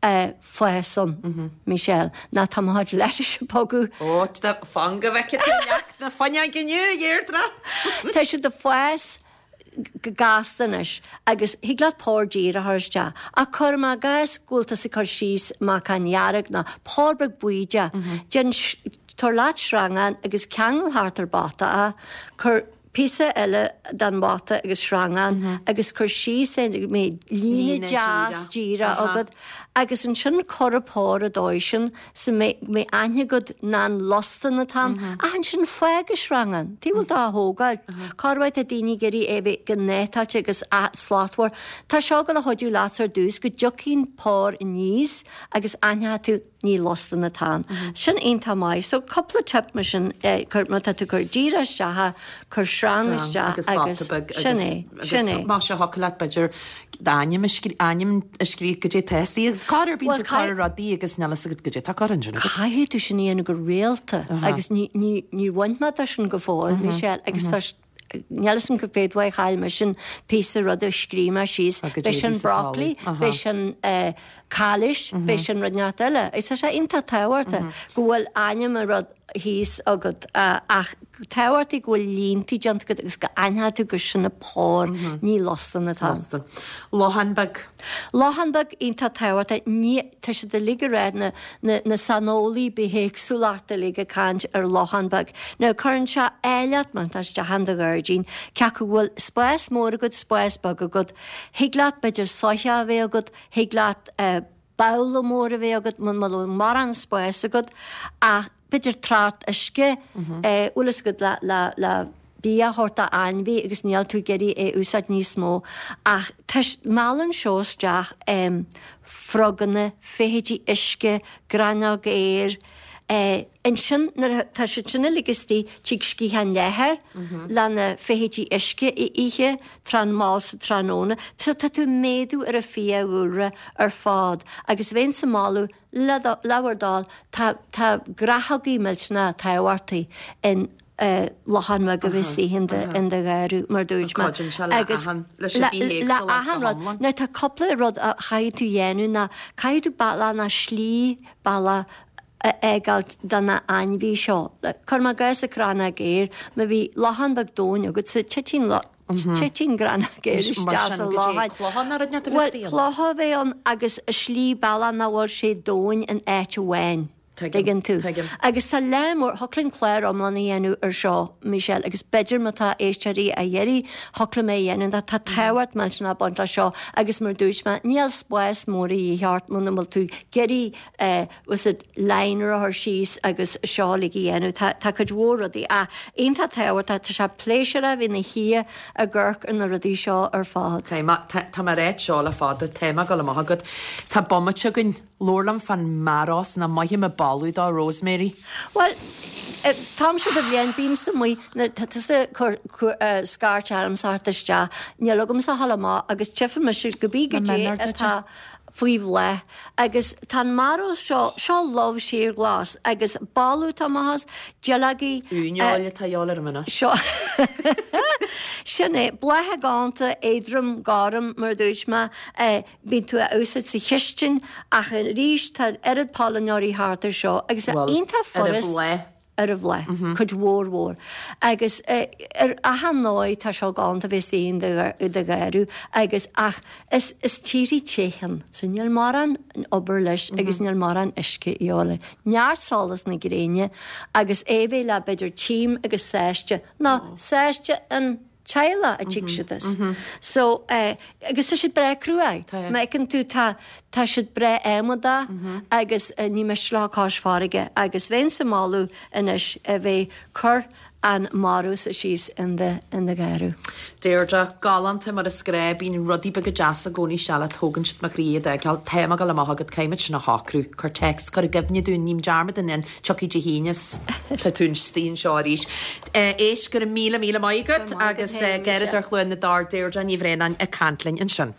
eh, fás ann, Michelle, ná tá mo chuid lettuce ag bogadh. Ó, tá fan go bhfeicfidh tú leac na fuinneoige inniu, a Dheirdre. Tá siad ag fás go gasta anois agus thig leat pór díreach a chur isteach. Ach cuir i gcás go bhfuil tusa ag cur síos meacan dhearg ná pór beag buí de. Déan tabhair leat sreangán agus ceangail thart ar bpota é, cuir píosa eile den bpota agus sreangán agus cuir síos é go mbeidh líne Líne deas díreach. díreach Aha. agat agus ansin cuir an pór an dóigh sin so mbeidh mbeidh aithne agat nach lostan atá ann ach ansin fág an sreangán. Tuige bhfuil tú á thógáil. Corruair tá daoine ag iarraidh é bheith go néatáilte agus slachtmhar. Tá seo ag gabháil a chuidiú leat ar dtús go dtiocfaidh an pór aníos agus aithneoidh tú ní lostan atá ann. Sin iontach maith. So cúpla tip mar sin eh, cur má tá tú cur díreach isteach, cur sreang isteach agus agus bata beag sin é, sin é. Má sé thiocfadh leat b'fhéidir d'ainm a scrí- ainm a scríobh goidé tá Cá ar bíonn Well, tú cur rudaí agus níl a fhios agat goidé tá curtha ansin agat. Caithfidh tú sin a dhéanamh go rialta agus ní ní ní bhain mé de sin go fóill, Michelle, agus tá níl a fhios agam go féadmhaith chaill mé sin píosa rud a scríobh mé síos. Ah, go B'é sin dtéidís sa broccoli, talamh. b'é sin eh, cáilis, b'é sin rud neart eile. Is tá sé iontach tábhachtach go bhfuil ainm an rud thíos agat eh, ach tábhachtach go bhfuil línte déanta agat agus go aithneoidh tú gur sin an pór ní lostan atá. Lostan. Lochán beag. Lochán beag iontach tábhachtach ní tá siad uilig ag rá na, na, na saineolaí bithéagsúlachta uilig ag caint ar lochán beag. Now cuireann sé áilleacht mar tá isteach in do ghairdín, cé acu go bhfuil spás mór agat, spás beag agat, thig leat b'fhéidir soitheach a bheith agat, thig leat eh, babhla mór a bheith agat, muna bhfuil mórán spás agat, ach b'fhéidir trácht uisce, eh, bhfuil fhios agat le, le, le bia a thabhairt d'ainmhí agus níl tú ag iarraidh é úsáid níos mó ach tis meallann seo isteach um, froganna, feithidí uisce, gráinneog aeir, Eh, ansin nuair tá siad sin uilig istigh tig sciathán leathair le na feithidí uisce a ithe tráth mall sa tráthnóna, Tá tá tú méadú ar a fiadhúlra ar fad agus bheinn sa moladh le do- le bhur dtoil tá tá gnáthóga millteanach tábhachtaí in eh, lochán beag a bheith istigh in do in do gharraí mar dúirt mé. Cuidíonn sé le Agus achan- leis an le- bithéagsúlacht le go achan rud. hiomlán. Now tá cúpla rud a chaithfidh tú dhéanamh ná caithfidh tú bealach ná slí bealach a fhágáil do na ainmhí seo. Cuir i gcás an chrannóg aeir, má bhí lochán beag domhain agat sa titeann lo titeann crannóg aeir Mar isteach sin sa go dtí lochán. clochán ar an Well, bhí clocha a bheith ann agus a slí bealach nach bhfuil sé domhain in áit amháin. Tuigeann tú. Tuigim. Agus tá lá mór, thiocfadh linn clár iomlán a dhéanamh ar seo, Michelle, agus b'fhéidir má tá éisteoirí á iarraidh, thiocfadh liom é a dhéanamh. Tá tábhacht millteanach ag baint leis seo agus mar dúirt mé, níl spás mór a dhíth ort muna bhfuil tú ag iarraidh eh, was it liner a chur síos agus seo uilig a dhéanamh. Tá, tá cuid mhór rudaí ach iontach tábhachtach, tá sé pléisiúrtha a bheith ina shuí ag amharc ar na rudaí seo ar fad. Tá mé, tá, tá mé ag ráit seo le fada, tá mé ag dul amach agat. Tá bomaite againn, labhair liom fán mearós nach maith me bailiú dá Rosemary. Well, táimse do bhliain bímsa amuigh nuair tá tusa ag cur scairt ormsa theacht isteach, níl agamsa a ghabháil amach agus tchífidh mise go bí Na goidé mionúir duit. atá faoi bhláth. Agus tá an mearós seo, seo lubh síorghlas agus boladh atá amach as, duilleogaí, Uaineoil atá a dhíobháil orm anois. Seo. Sin é, blátha galánta, éadrom, gorm, mar a dúirt mé, bíonn tú á úsáid sa chistin ach arís tá oiread pailneoirí thart ar seo agus Bhuel, iontach ar a furast bhláth. ar a bhláth, cuid mhór mhór. Agus ar achan ndóigh tá seo galánta bheith istigh in do gharradh agus ach is is tíorthaí te ann, so níl mórán obair leis agus níl mórán uisce a dhíobháil air. Neart solas na gréine agus é bheith le b'fhéidir tím agus sáiste, nó sáiste an teaghlach a dtig siad as. So, eh, agus tá siad breá cruaidh. Tá. Má fheiceann tú tá tá siad breá adhmadach agus eh, ní miste leo cois farraige agus bheinn sa moladh anois a bheith cur an marús síos in do in do gharradh. Deirdre, galánta mar is gnách, bíonn rudaí beaga deasa i gcónaí seal a tógann siad mo chroí a d'fheiceáil. Tá mé ag dul amach agat, caithfimid sin a shocrú. Cuir téacs, cuir i gcuimhne dúinn, ním dearmad in tiocfaidh Dé hAoine is tá tú istigh anseo arís. Éist, go raibh míle míle maith agat Go raibh maith agat agus féin, Garradóir Michelle. Chluain na dTor Deirdre Ní Bhraonáin ag caint linn ansin.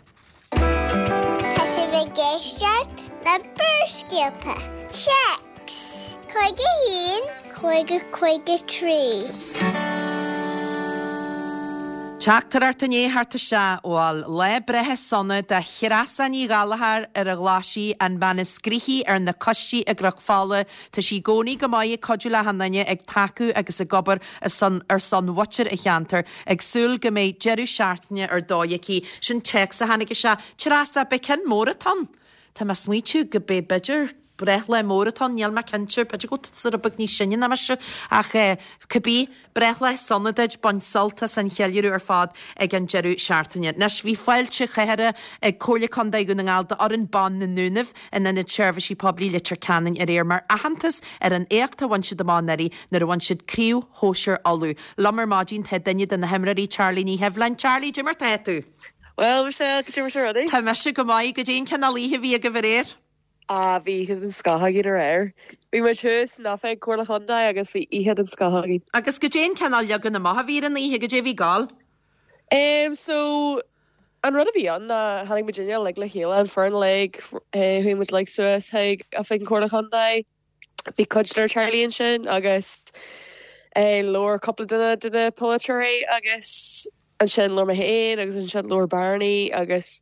Tá sibh ag éisteacht le Barrscéalta. Téacs cúig a haon, cúig a cúig a trí. Teachtaireacht inné thart isteach bhfuil lá breithe sona do Threasa Ní Ghallchóir ar an Ghlaisigh an bhean is gnoithí ar na coistí i gCnoc Fola. Tá sí i gcónaí go maith ag cuidiú le achan duine ag tacú agus ag obair ar son ar son mhuintir an cheantair, ag súil go mbeidh deireadh seachtaine ar dóigh aici. Sin téacs a tháinig isteach. Treasa, b'é cinn mór atá ann. Tá mé ag smaoitiú go bé b'fhéidir breithlá mór atá ann, níl mé cinnte, b'fhéidir go bhfuil tú rud beag níos sine ná mise, ach eh, cibé breithlá sona duit bain sult as an cheiliúradh ar fad ag an deireadh seachtaine. Anois bhí fáilte chathartha ag Comhairle Contae Dhún na nGall d'fhoireann ban na nDúnaibh in Ionad Seirbhísí Poiblí Leitir Ceanainn aréir mar aitheantas ar an éacht a bhain siad amach anuraidh nuair a bhain siad Craobh Shóisir Uladh. Liom ar maidin tá duine de na himreoirí Charlie Ní Sheibhleáin. Charlie, cad é mar tá tú. Well Michelle, go dtí rudaí? Tá mise go maith goidé an cineál oíche a bhí agaibh aréir. Ah bhí oíche den scoth againn aréir. Bhí muid thuas in oifig Comhairle Chontae agus bhí oíche den scoth againn. Agus goidé an cineál leagan amach a bhí ar an oíche goidé a bhí ag gabháil. Um, so an rud a bhí ann ná tháinig muid uilig le chéile an foireann uilig chuaigh muid like suas chuig oifig an Comhairle Chontae. Bhí cuid de Charlie ansin agus eh, labhair cúpla duine de na polaiteoirí agus ansin labhair mé féin agus ansin labhair Barney agus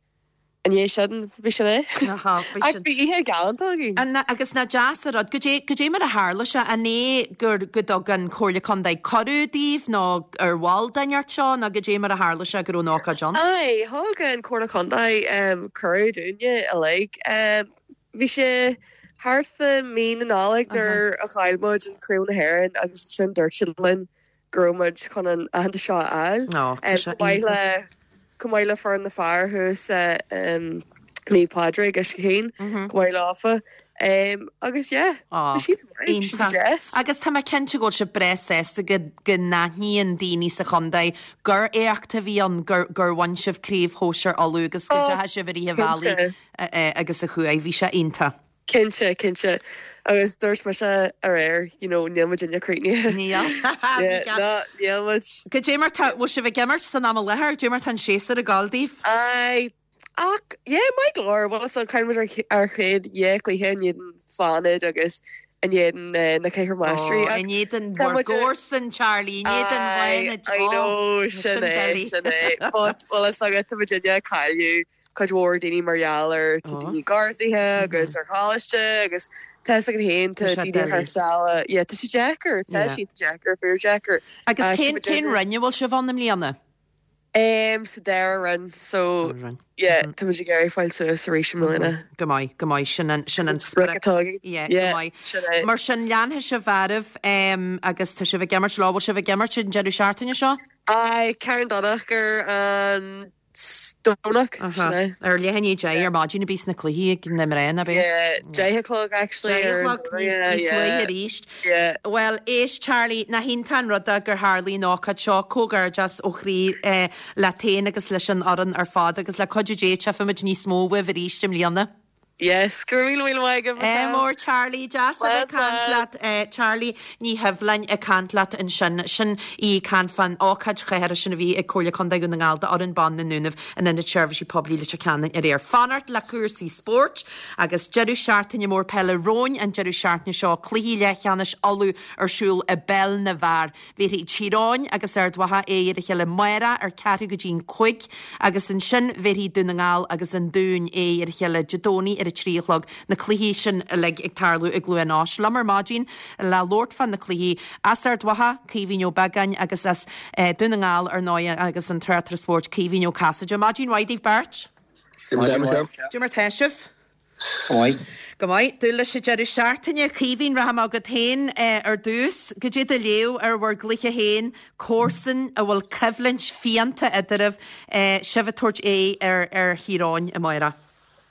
an é sin bhí sin é. Aha, bhí Ach sin. bhí oíche galánta againn. An, agus nach deas an rud, goidé, goidé mar a tharla sé an é gur go dtug an Comhairle Contae cuireadh daoibh nó ar bhall den ort seo nó goidé mar a tharla sé go raibh an ócáid ann. Aye, thug an Comhairle Contae um, cuireadh dúinne uilig. Um, bhí sé thart fá mí na Nollag nuair a chaill muid an Craobh na hÉireann agus sin dúirt siad linn go raibh muid chun an aitheantas seo a fháil. Ó, tá Um, sé chomh maith iontach. le chomh maith le foireann na fear thuas um, Naomh Pádraig is chéin chomh maith leofa. Um, agus yeah, Ó, bhí siad maith, bhí siad iontach. deas. Agus tá mé cinnte go bhfuil sibh breá sásta go go n-aithníonn daoine sa chontae gur éacht a bhí ann gur gur bhain sibh Craobh Shóisir Uladh agus go Ó, dteachaigh sibh ar oíche bhealaí cinnte. agus a chuaigh, bhí sé iontach. Cinnte, cinnte. Agus dúirt mise aréir, you know, níl muid inne críochnaithe. Níl. Yeah, ná, níl muid. Goidé mar tá bhfuil sibh ag imirt san am i láthair, goidé mar tá an séasúr ag gabháil daoibh? Aye, ach yeah, maith go leor, well so chaill muid ar ar chéad dhá chluiche in éadan Fánaid agus in éadan eh, na Ceithre Máistrí. In éadan Tá bhur muid ar- gcomharsan Charlie, in éadan Aye, Fánaid. I know, sin é, sin é. But well is agat tá muid inne cailleadh cuid mhór daoine mar gheall ar tá Oh. daoine gortaithe agus ar choláiste agus tá a fhios agat féin Tá tá sé daoine thar doiligh. sáile. Yeah, tá sé deacair, tá Yeah. sé deacair, fíor deacair. Agus Ach cén tá muid cén inne- roinn a bhfuil sibh ann i mbliana? Um, sa dara roinn so yeah, tá muid ag iarraidh fáil suas arís i mbliana. Go maith, go maith, sin an sin an Sprioc atá againn. Yeah, Yeah, go maith. sin é. Mar sin leanfaidh sibh oraibh um, agus tá sibh ag imirt lá bhfuil sibh ag imirt an deireadh seachtaine seo? Aye, Carn Domhnach ar an Domhnach sin é. Ar leath i ndiaidh a deich ar maidin a bhíos na cluichí ag na mná ab ea? Yeah, deich a chlog actually Deich a ar an chlog Domhnach, níos yeah, níos yeah. luaithe arís. Yeah. Well, éist Charlie, nach iontach an rud é gur tharlaigh an ócáid seo comhghairdeas ó chroí eh, leat féin agus leis an fhoireann ar fad agus le cuidiú Dé tchífimid níos mó uaibh arís i mbliana. Yes, go raibh míle míle maith agaibh, Eh, Michelle. mór Charlie, deas a bheith ag caint leat eh, Charlie Ní Shibhleáin ag caint leat ansin sin í ag caint fán ócáid chathartha sin a bhí ag Comhairle Contae Dhún na nGall d'fhoireann ban na nDúnaibh in Ionad Seirbhísí Poiblí Leitir Ceanainn aréir. Fanacht le cúrsaí spóirt agus deireadh seachtaine mór peile romhainn an deireadh seachtaine seo cluichí leathcheannais Uladh ar siúl i bpeil na bhfear. Bhéarfaidh Tír Eoghain agus Ard Mhacha aghaidh ar a chéile amárach ar ceathrú go dtí an cúig agus ansin bhéarfaidh Dún na nGall agus an Dún aghaidh ar a chéile Dé Domhnaigh ar a trí a chlog na cluichí sin uilig ag tarlú i gCluain Eois. Liom ar maidin le labhairt fá na cluichí as Ard Mhacha, Caoimhín Ó Beagáin agus as eh, Dún na nGall ar ndóigh agus an tráchtaire spóirt Caoimhín Ó Casaide. Maidin mhaith daoibh beirt? Cad é mar tá sibh? Go Go maith, dúil leis an deireadh seachtaine Caoimhín rachaidh mé chugat féin eh, ar dtús, cad é do léamh ar bhur gcluiche féin comharsan a bhfuil coimhlint fiánta eadraibh eh, sibh ag tabhairt aghaidh ar ar Thír Eoghain amárach.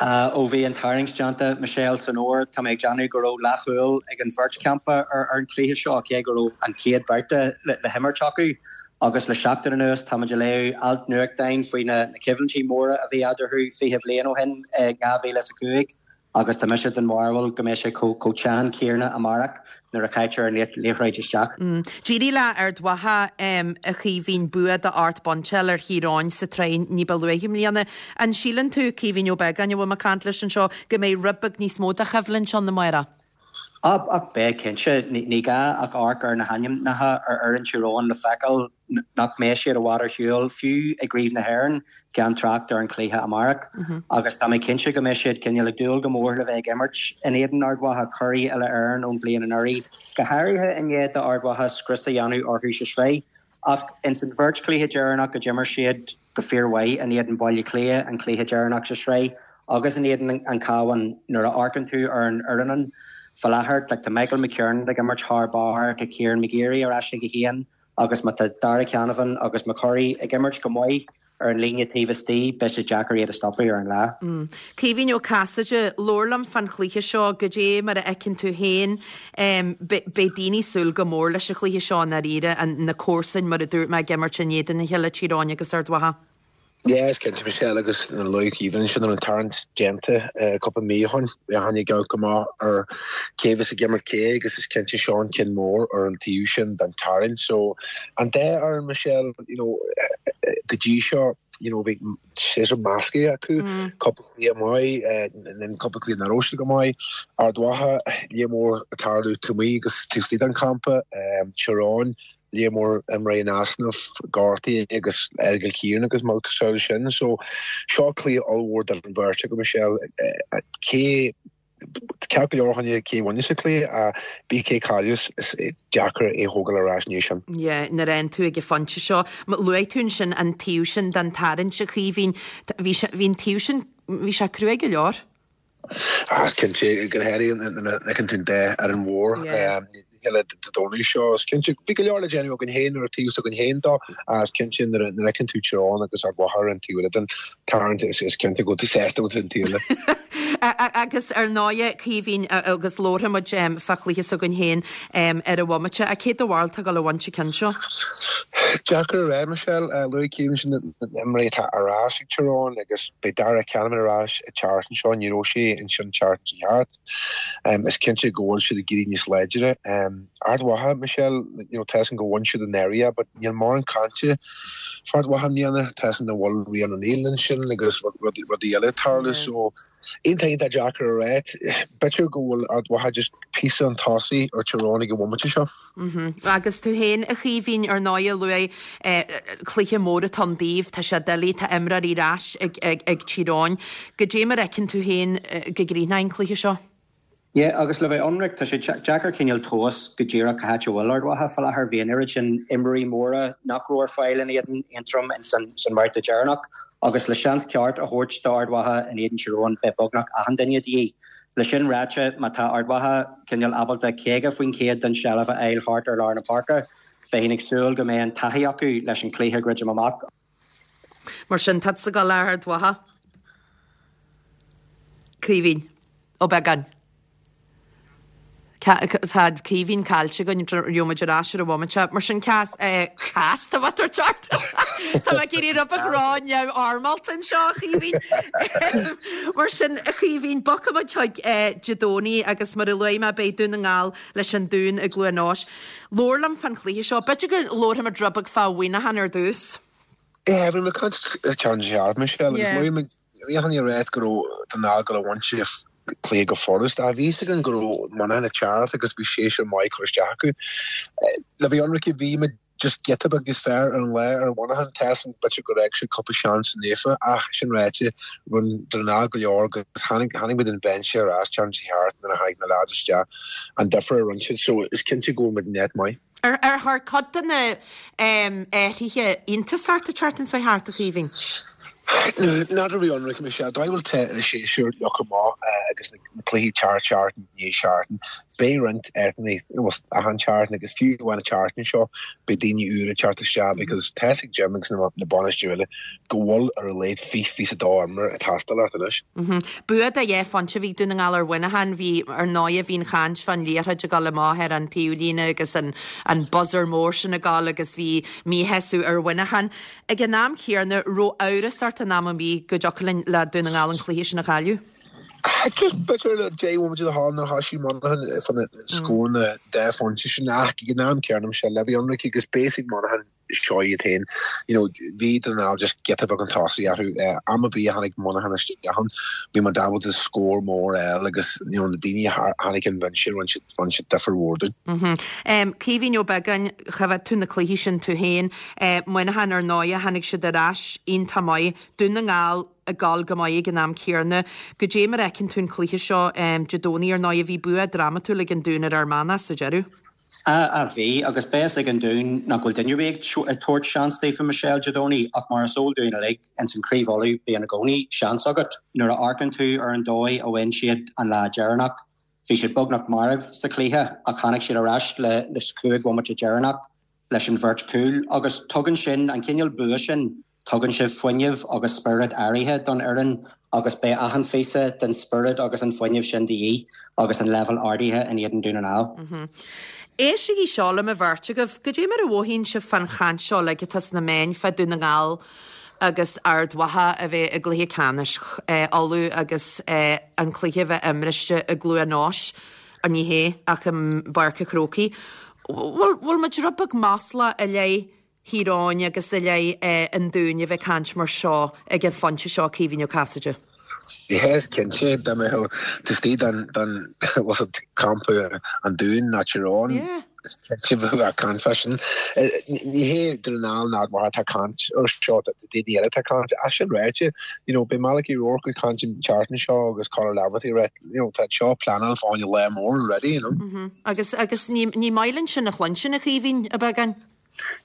Uh, ó bhí an tarraingt déanta Michelle san ór tá mé ag déanamh go raibh leathshúil ag an bheirt champa ar ar an chluiche seo cé go raibh an chéad babhta le, le himirt acu agus le seachtain anuas tá le léamh alt nuachtáin faoi na, na coimhlintí móra a bhí eatarthu fiche bliain ó shin ag dhá mhíle is a cúig agus tá mise den bharúil go mbeidh sé chomh teann céanna amárach nuair a chaitear an liathróid isteach. Mm. D'éirigh le Ard Mhacha um, a Chaoimhín bua de ocht bpointe ar Thír Eoghain sa tsraith ní ba luaithe i mbliana. An síleann tú Caoimhín Ó Beagáin a bhfuil mé ag caint leis anseo go mbeidh rud beag níos mó de choimhlint ann amárach. Ach ach beidh cinnte ní gá ach amharc ar na hainmneacha ar ar an Tír Eoghain le feiceáil nach mbeidh siad i bhfad ar shiúl fiú i gCraobh na hÉireann gan trácht ar an chluiche amárach. Agus tá mé cinnte go mbeidh siad cineál ag dúil go mór le bheith ag imirt in éadan Ard Mhacha curaidh uile-Éireann ón bhliain anuraidh, go háirithe i ndiaidh d'Ard Mhacha scrios a dhéanamh orthu sa sraith. Ach in san bheirt chluiche deireanach go d'imir siad go fíormhaith in éadan Baile Átha Cliath an cluiche deireanach sa sraith, agus in éadan an Cabhán nuair a amharcann tú ar an fhoireann faoi láthair like, tá Michael McKernan ag imirt thar barr tá Kieran McGeary ar ais ag a haon agus má tá Darragh Canavan agus McCurry ag imirt go maith ar an líne taobh istigh beidh sé deacair iad a stopadh ar an lá. Mm. Caoimhín Ó Casaide labhair liom fán chluiche seo cad é mar a fheiceann tú féin um, beidh daoine ag súil go mór leis an chluiche seo dáiríre an na comharsain mar a dúirt mé ag imirt in éadan a chéile Tír Eoghain agus Ard Mhacha. Yes, cinnte Michelle agus na luaigh Caoimhín sin an tarraingt déanta cúpla mí ó shin tháinig go maith ar cé bheas ag imirt cé agus is cinnte seo an ceann mór ar an taobh sin den tarraingt so an dá ar an Michelle you know, go dtí seo you know, bhí sé measctha acu cúpla cluiche maith an cúpla cluiche nach raibh go maith Ard Mhacha le mór tarlú tuí agus tuí an campa Tír Eoghain le mór imreoirí in easnamh gortaithe agus Ergal Kieran agus mar cosúil sin so seo cluiche ollmhór den bheirt go Michelle cé ceap go leor chuine cé bhaine sa cluiche a bí cé cailleas is deacair é thógáil ar ais ní sin. Yeah, nuair an tú ag an phointe seo, luaigh tú sin an taobh sin den tarraingt a Chaoimhín bhí an taobh sin bhí sé cruaidh go leor. As cinnte go háirithe an tún de ar an mhór le dóí seo cinnte bhí go leor le déanamh againn féin ar taobh againn féin dó as cinnte na fheiceann tú Tír Eoghain agus Ard Mhacha an taobh den tarraingt is is cinnte go tú sásta an taobh. Agus ar ndóigh Caoimhín agus labharfaimid fá chluiche againn féin ar an bhomaite a cé do bharúil atá ag dul a bhaint an ceann seo. Deacair a rá Michelle luaigh Caoimhín sin imreoirí atá ar ais ag Tír Eoghain agus beidh Darragh Canavan ar ais an tseachtain seo ní raibh sé ansin tseachtain thart. Um, is cinnte go bhfuil siad ag éirí níos láidre. Um, Ard Mhacha Michelle you know, tesan go bhhain siad an area, but níl mórán cainte fá Ard Mhacha i mbliana tesan na bhfuil Rian an Nílan sin agus rudaí eile tarlú so aon tá deacair a rá b'fhéidir go bhfuil Ard Mhacha just píosa chun tosaigh ar Tír Eoghain ag an bhomaite seo. Mm -hmm. Agus tú féin a Chaoimhín ar ndóigh luaigh eh, cluiche mór atá ann daoibh tá sé doiligh tá imreoirí ar ais ag, ag, ag Tír Eoghain. Cad é mar a fheiceann tú féin eh, go gcríochnóidh an cluiche seo. Yeah, agus le bheith ionraic tá sé deacair cineál tomhas go díreach cá háit a bhfuil Ard Mhacha fá láthair bhí an oiread sin imreoirí móra nach raibh ar fáil in éadan Aontroim in san san mbabhta deireanach agus le seans ceart a thabhairt do Ard Mhacha in éadan Tír Eoghain beidh beagnach achan duine de dhíth. Le sin ráite má tá Ard Mhacha cineál ábalta caoga faoin chéad den seilbh a fháil thart ar lár na páirce, bheinn ag súil go mbeidh an taithí acu leis an cluiche a dhruidim amach. Mar sin tá sa go le Ard Mhacha. Caoimhín Ó Beagáin. Tá Caoimhín caillte againn gheobhaidh muid ar ais ar an bhomaite. Mar sin ceas ceas tá tar teart Tá mé ag iarraidh rud beag rá neamhfhoirmeálta anseo a Chaoimhín. Mar sin a Chaoimhín bogfaidh muid chuig Dé Domhnaigh agus mar a luaigh mé beidh Dún na nGall leis an Dún i gCluain Eois. Labhair liom fán chluiche seo, b'fhéidir go labharfaidh muid rud beag fá Mhuineachán ar dtús. Yeah, bhí mé ag caint ceann searbh Michelle agus luaigh muid bhí achan duine ag ráit go raibh Dún na nGall ag gabháil a bhaint cluiche go furast. Ach bhí fhios againn go raibh Muineachán ag teacht agus bhí séasúr maith curtha isteach acu. Le bheith ionraic bhí muid just giota beag níos fearr ar an lá ar Mhuineachán. Tá a fhios agam b'fhéidir gur fhág siad cúpla seans naofa ach sin ráite rinne Dún na nGall go leor agus tháinig tháinig muid an binse ar ais ceann ceart nuair a tháinig na lads isteach an difear a rinne siad so is cinnte go bhfuil muid net maith. Ar ar chuir cuid de na athruithe iontas ort an tseachtain seo thart a Chaoimhín? N'fheadar bhí ionraic Michelle, dóigh bhfuil te séasúr leocha maith agus na cluichí tear seachtain i ndiaidh seachtain. Beidh roinnt athruithe achan seachtain agus fiú amháin an tseachtain seo beidh daoine úra ag teacht isteach because tá a fhios ag Jim agus na bainisteoirí eile go bhfuil ar a laghad fiche fiche a dó imreoir ag teastáil ort anois. Bua de dheich phointe a bhí ag Dún na nGall ar Mhuineachán. Bhí ar ndóigh bhí an chaint fán liathróid ag dul amach ar an taobhlíne agus an an buzzer mór sin ag dul agus bhí míshásamh ar Mhuineachán. Ag an am céanna raibh amhras ort in am ar bith go dtiocfadh linn le Dún na nGall an cluiche sin a chailleadh. Just b'fhéidir le deich bhomaite le dhul nuair a thosaigh Monaghan fá na scóranna dhá phointe sin ach ag an am céanna Michelle le bheith ionraic agus beidh a fhios ag Monaghan seo iad féin. You know, bhí Dún na nGall just giota beag chun tosaigh orthu. Am ar bith a tháinig Monaghan isteach ann, bhí muid ábalta scór mór a fháil agus you know, na daoine a tháinig an bhinse rinne siad rinne siad difear mhór dúinn. Caoimhín Ó Beagáin, chonaic tú na cluichí sin tú féin. Muineachán ar ndóigh, tháinig siad ar ais iontach maith. Dún na nGall ag gabháil go maith ag an am céanna. Goidé mar a fheiceann tú an cluiche seo Dé Domhnaigh ar ndóigh, bhí bua drámatúil ag an Dún ar Fhear Manach sa deireadh. A bhí, agus beidh a fhios ag an Dún nach bhfuil duine ar bith ag tabhairt seans daofa Michelle Dé Domhnaigh ach mar is eol dúinn uilig ins an Craobh Uladh bíonn i gcónaí seans agat. Nuair a amharcann tú ar an dóigh a bhain siad an lá deireanach, bhí siad beagnach marbh sa chluiche ach tháinig siad ar ais le le cúig bhomaite deireanach leis an bheirt chúl agus tugann sin, an cineál bua sin, tugann sé fuinneamh agus spiorad áirithe don fhoireann agus beidh achan phíosa den spiorad agus an fuinneamh sin de dhíth agus an leibhéal ardaithe in éadan Dún na nGall. Éistigí seo liom an bheirt agaibh, goidé mar a mhothaíonn sibh fán chaint seo uilig atá sna meáin fá Dún na nGall agus Ard Mhacha a bheith i gcluiche ceannais Uladh agus an cluiche a bheith imriste i gCluain Eois, ní hea, ach i bPáirc an Chrócaigh. Bhfuil bhfuil muid rud beag maslach i leith Thír Eoghain agus i leith an Dúin a bheith ag caint mar seo ag an phointe seo, Caoimhín Ó Casaide? Yeah, is cinnte, dá mbeadh tú istigh den, den, was it campa an Dúin ná Tír Eoghain, Yeah. is cinnte bheadh ag caint fá sin. Ní hé Dún na nGall ná Ard Mhacha atá ag caint ar seo, tá daoine eile atá ag caint. As sin ráite, you know, beidh Malachy O'Rourke ag caint an tseachtain seo agus Conor Laverty ag rá, you know, tá seo pleanáil fá choinne lá mór already, you know. Agus, agus ní, ní maith linn sin a chluinstin, a Chaoimhín, a Bheagáin?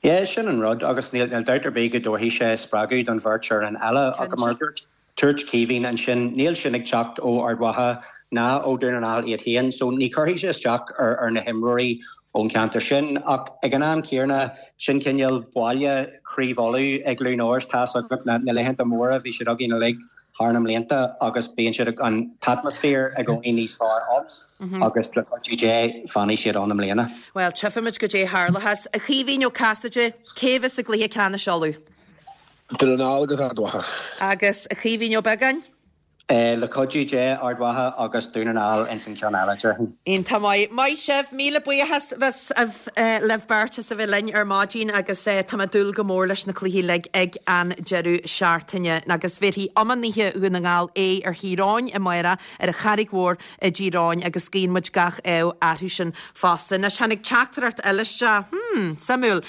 Yeah, sin an rud agus níl níl dabht ar bith go dtabharfaidh sé spreagadh don bheirt fhoireann eile ach mar a dúirt dúirt Caoimhín ansin níl sin ag teacht ó Ard Mhacha ná ó Dún na nGall iad féin so ní chuirfidh sé isteach ar ar na himreoirí ón cheantar sin ach ag an am céanna sin cineál baile Chraobh Uladh i gCluain Eois tá a fhios agat na na laethanta móra bhí siad againn uilig thar na mblianta agus bíonn siad an t-atmaisféar i gcónaí níos fearr ann agus le cuidiú Dé fanfaidh siad ann i mbliana. Bhuel, tchífimid goidé a tharlóchas. A Chaoimhín Ó Casaide, cé bheas i gcluiche ceannais Uladh? Dún na nGall agus Ard Mhacha. Agus a Chaoimhín Ó Beagáin? Le cuidiú Dé, Ard Mhacha agus Dún na nGall ins an ceann eile, déarfainn. Iontach maith. Maith sibh. Míle buíochas libh beirt as a bheith linn ar maidin agus tá mé ag dúil go mór leis na cluichí uilig ag an deireadh seachtaine. Agus bhéarfaidh iománaithe Dhún na nGall aghaidh ar Thír Eoghain amárach ar an Charraig Mhór i dTír Eoghain agus guíonn muid gach ádh orthu sin fosta. Anois tháinig teachtaireacht eile isteach. Hmm, suimiúil.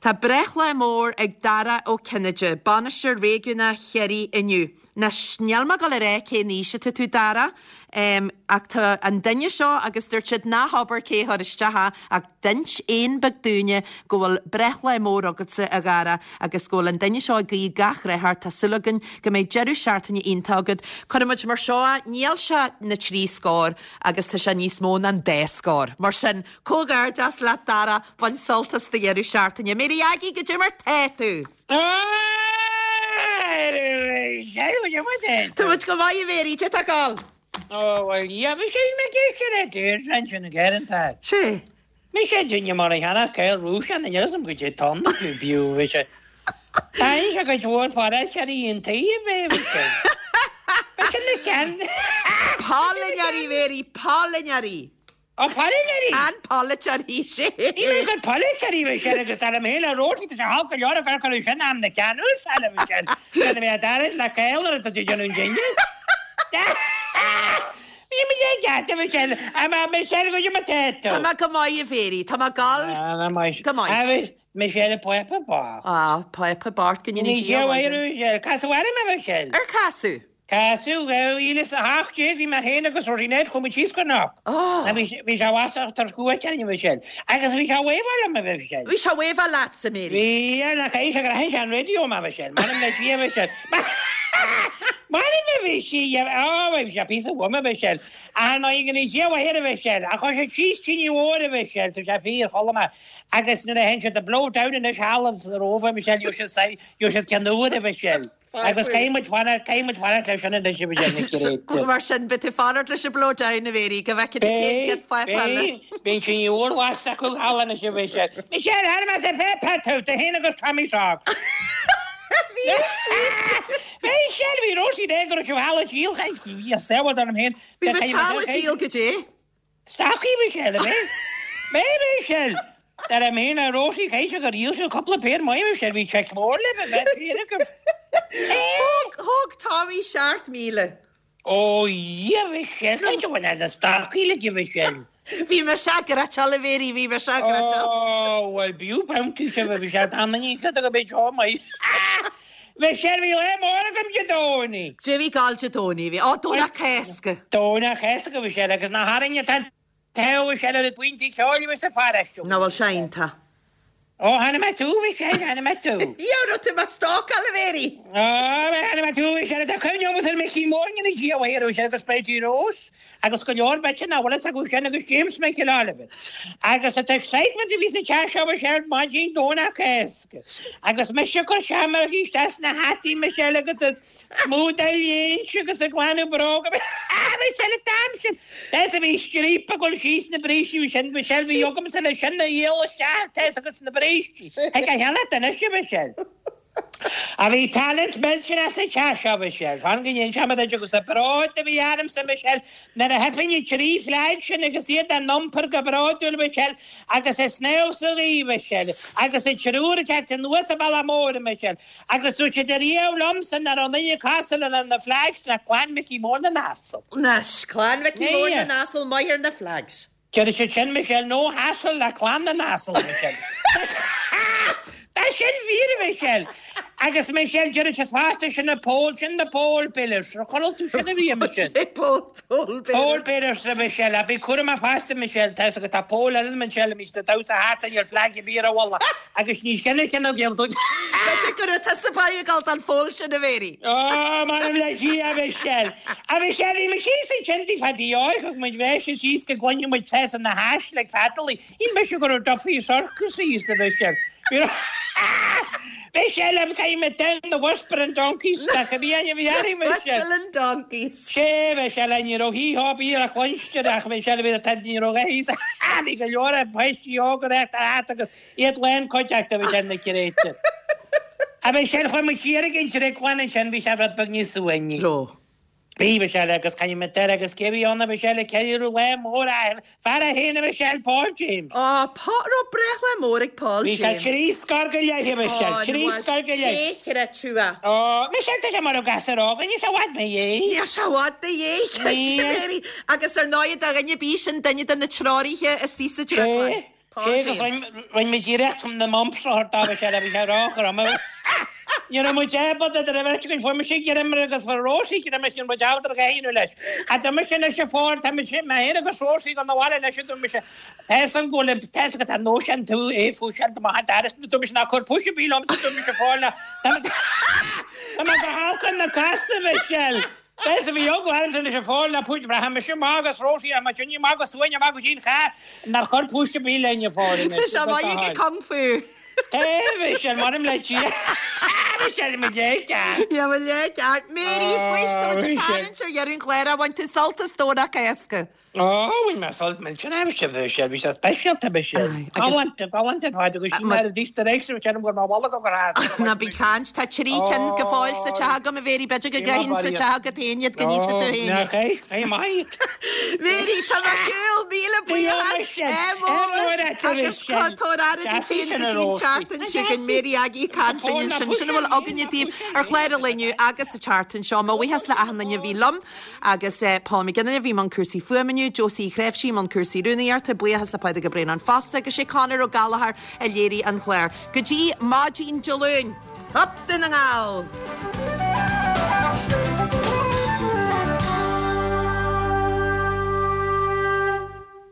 Tá breithlá mór ag Dara Ó Cinnéide, Bainisteoir Réigiúnach Chiarraí inniu. Anois, níl mé ag dul a rá cén aois atá tú, Dara, Ach tá an duine seo agus dúirt siad ná habair cé a chuir isteach é ach d'inis éan beag dúinne go bhfuil breithlá mór agatsa a Dhara agus go bhfuil an duine seo ag guí gach rath ort. Tá súil againn go mbeidh deireadh seachtaine iontach agat. Cuirfidh muid mar seo é, níl sé na trí scór agus tá sé níos mó ná an dá scór. Mar sin, comhghairdeas leat Dara, bain sult as do dheireadh seachtaine. Mary Aggie, goidé mar tá tú? Tá muid go maith a Mhary, cad é tá ag gabháil? Ó, bhuel, yeah, bhí sé mé ag éisteacht le Deirdre ansin ag ar an tag. Sé. Bhí sé duine mar a cheannach Cael Rúis an níl a fhios agam goidé tá ann acu fiú, bhí sé. Thaithin sé cuid mhór polaiteoirí an taobh é, bhí sé. Bhí sé na ceann. Polaiteoirí, Mary, polaiteoirí. Ó, polaiteoirí? An polaiteoirí, sé. Ní bheidh gur polaiteoirí bhí sé agus dar liom féin le Róisín, tá sé thall go leor ag cur cuireadh sin am na ceannúsáile, bhí sé. Gan a bheith dairid le Cael nuair atá tú ag déanamh an dinnéir. Bhí mé ag ceapadh, Michelle, a Michelle, goidé mar tá tú. Tá mé go maith, a Mhary, tá mé ag gabháil go maith. Michelle, Pápa bocht. Á, Pápa bocht, go ndéana Dia a mhaith dó. Michelle, casadh orm, a Michelle. Ar casadh? Casadh, dhá mhíle is a hocht déag, bhí mé féin agus Rosie Ned, chuaigh muid síos go Knock. Bhí sé i bhfasach tar chuairt orainn, a Michelle. Agus bhí sé ag wave-áil liom, a Michelle. Bhí sé ag wave-áil leatsa, Mary. Bhí, nach é sé gur aithin sé an raidió mé, a Michelle. M'anam le Dia, a Michelle. M'anam a bhí sí, á, bhí sé píosa uaim, a Michelle. Ar ndóigh, go ndéana Dia a mhaith air, a Michelle. Ach chuir sé síos tine mhór, a Michelle, tá sé fíor, chuala mé. Agus nuair a théann siad ag blow down anois thall sa Róimh, a Michelle, gheobhaidh siad, gheobhaidh siad ceann úr, a Michelle. Agus caithfidh muid fanacht, caithfidh muid fanacht leis sin anois, a Michelle, na créidte. Mar sin, beidh tú fanacht leis an blow down, a Mhary, go bhfeicfidh tú cén chéad phápa eile. Beidh, beidh an tine mhór lasta acu thall anois, a Michelle. Michelle, tharla mé sa phéipéar tú, tú féin agus Tommy Socks. Bhí Michelle, bhí Rosie Day go raibh sibh thall ag díol, bhí a saol orm féin. Bhí muid thall ag díol goidé. Stocaí Michelle, a bhí? Bhí Michelle. Dar liom féin a Rosie, caithfidh sé gur dhíol sibh cúpla péir maith Michelle, bhí check mór libh a bheith péir agaibh. Thóg, thóg Tommy seacht míle. Ó Dhia Michelle, caithfidh sé bhain na stocaí le Michelle. Bhí mise ag gritseáil a Mhary, bhí mise ag gritseáil. Ó, bhuel, b'fhiú bounty sibh a Mhichelle, tá an oíche go mbeidh seo maith. Michelle, bhí lá mór agam Dé Domhnaigh. Dé bhí gal Dé Domhnaigh, bhí. Ó, Domhnach Cásca. Domhnach Cásca, Michelle, agus nach orainn atá an t-ádh, Michelle, ar an bpointe ceoil a bhí sa pharóiste. Nach bhfuil sé iontach. Ó, chonaic mé tú, Michelle, chonaic mé tú. Dhia, raibh tú mo stalkáil, a Mhary. Ó, chonaic mé tú, Michelle, tá cuimhne agam ar Micí Mór, go ndéana Dia a mhaith air, Michelle, agus Bridie Rose, agus go leor b'fhéidir nach bhfuil fhios acu sin, agus James Michael Oliver. Agus an t-excitement a bhí sa teach seo, Michelle, maidin Domhnach Cásca. Agus mise ag cur seamrógaí isteach sna hataí, Michelle, agus ag smúdáil léinte agus ag glanadh bróga. Michelle, an t-am sin! Tá's a bhí stríopa ag dul síos na brístí bhí sin Michelle bhí agamsa le sin a dhíol isteach tá's agat sna brístí. Thig a cheannacht anois a Mhichelle. A bhí talent millteanach sa teach seo Michelle. Fan go n-inseoidh mé duit agus an bród a bhí ormsa Michelle nuair a theipinn na trí flag sin agus iad á n-iompar go bródúil Michelle agus ag snámh sa ghaoth Michelle agus an triúr ag teacht anuas an bealach mór Michelle Agus dúirt siad ariamh liomsa nach raibh aon duine cosúil le na Flags ná Clann Mhicí Mór na nAsal. Anois, Clann Mhicí Mór na nAsal maith ar na Flags. Deir siad sin, Michelle, no hassle le Clann na nAsal, Michelle. Tá sin fíor, a Mhichelle. Agus Michelle, deir siad fosta, sin na pole, sin na pole pillars. Ar chuala tú sin ariamh, Michelle? Sé pole, pole bearers. Pole bearers, a Mhichelle. Ach bí cúramach fosta, Michelle, tá 'fhios agat, tá pole eile, Michelle, a mbíos ag damhsa thart ar flag ar bith ar a mhullach. Agus ní scéal é nó géabh duit. B'fhéidir go raibh tusa ag gabháil don pholl sin, a Mhary. Ó, m'anam le Dia, a Mhichelle. A Mhichelle, bhí muid síos ansin tigh Phaddy Óig, thug muid bhreis síos go gcluinfeadh muid tusa na haischlib feadalaí. Shíl mise go raibh Duffy Circus thíos, a Mhichelle. Bhí Michelle, I'm came down the Whispering Donkeys, nach a bhí ainm bhí airí, Michelle. Whistling Donkeys. Sé, Michelle, ní raibh hí-hop í le cluinstin ach Michelle, bhí an ní raibh a thíos. Bhí go leor páistí óga ag teacht agus Iad lán cuideachta a bhí sin na Créite. A Mhichelle, chuaigh muid siar ag an drioglann ansin, bhí sé rud beag níos suaimhní. Raibh. Bhí, Michelle, agus caithfidh mé deir agus cé a bhí ann a Mhichelle ag ceiliúradh lá mór a fear é féin a Mhichelle, Paul James. Á, Paul, raibh breithlá mór ag Paul Bhí sé James. trí scór go leith a Mhichelle, Á, trí bhuel, scór go leith. cé chreid tú é? Á, Michelle, tá sé mar a gasúr óg, níl sé i bhfad 'na dhiaidh. Níl sé i bhfad 'na dhiaidh, Níl. Mary. Agus ar ndóigh, do dhuine ar bith sin duine de na treoraithe istigh sa drioglann. Sé. Paul Cé agus James. rinne muid iarracht na mumps a thabhairt dó, bhí sé bhí sé róthrom. Ní raibh muid ábalta idir an bheirt againn, fuair mise greim air agus fuair Róisí greim air, ní raibh muid ábalta a dhath a dhéanamh leis. Ach dúirt mise anois a Phóil, tá muid, mé féin agus Róisí ag dul 'na bhaile anois, a dúirt mise, tá fhios agam go bhfuil, tá fhios agat tá nós an tú é fúiseáil do maith an doras, dúirt mise ná cuir pus ar bith liomsa, dúirt mise a Phóil, ná, tá mé, tá mé go holc ar na cosa, Michelle. Tá bhí eagla ormsa anois a Phóil ná pus, rachaidh mise amach agus Róisí, rachaidh muid inniu amach go suain amach go dtí an charr, nár chuir pus ar bith linn a Phóil anois. Tá sé maith ag Kung Fu. Bhí maram le tí mo léicear. Ja mo léicear. Mary faois tá muid ag tarraingt ar dheireadh an chláir a bhain tú sult as Domhnach Cásca. Ó bhí mé sult millteanach bhí sé bhí sé bhí sé speisialta bhí sé. Galánta galánta ar fad agus sin mar a d'Easter eggs a bhí sé go raibh bholg go raibh. Ná bí ag caint tá trí cinn go fóill sa teach agam a Mhary b'fhéidir go gcaithfinn sa teach agat féin iad go n-íosfaidh tú féin iad. Nach é é maith. Mary tá mé ar shiúl míle buíochas mór agus tabhair aire duit féin go dtí an tseachtain seo chugainn Mary Aggie ag caint linn ansin. Sin a bhfuil againne daoibh ar chlár an lae inniu agus sa tseachtain seo. Mo bhuíochas le achan duine a bhí liom agus Paul McGinley a bhí i mbun cúrsaí fuaime inniu, Josie Uí Chreimhsí i mbun cúrsaí rúnaíochta, buíochas le Pádraig Ó Braonáin fosta agus sé Conor Ó Gallchóir a léirigh an clár. Go dtí maidin Dé Luain! Up Dún na nGall!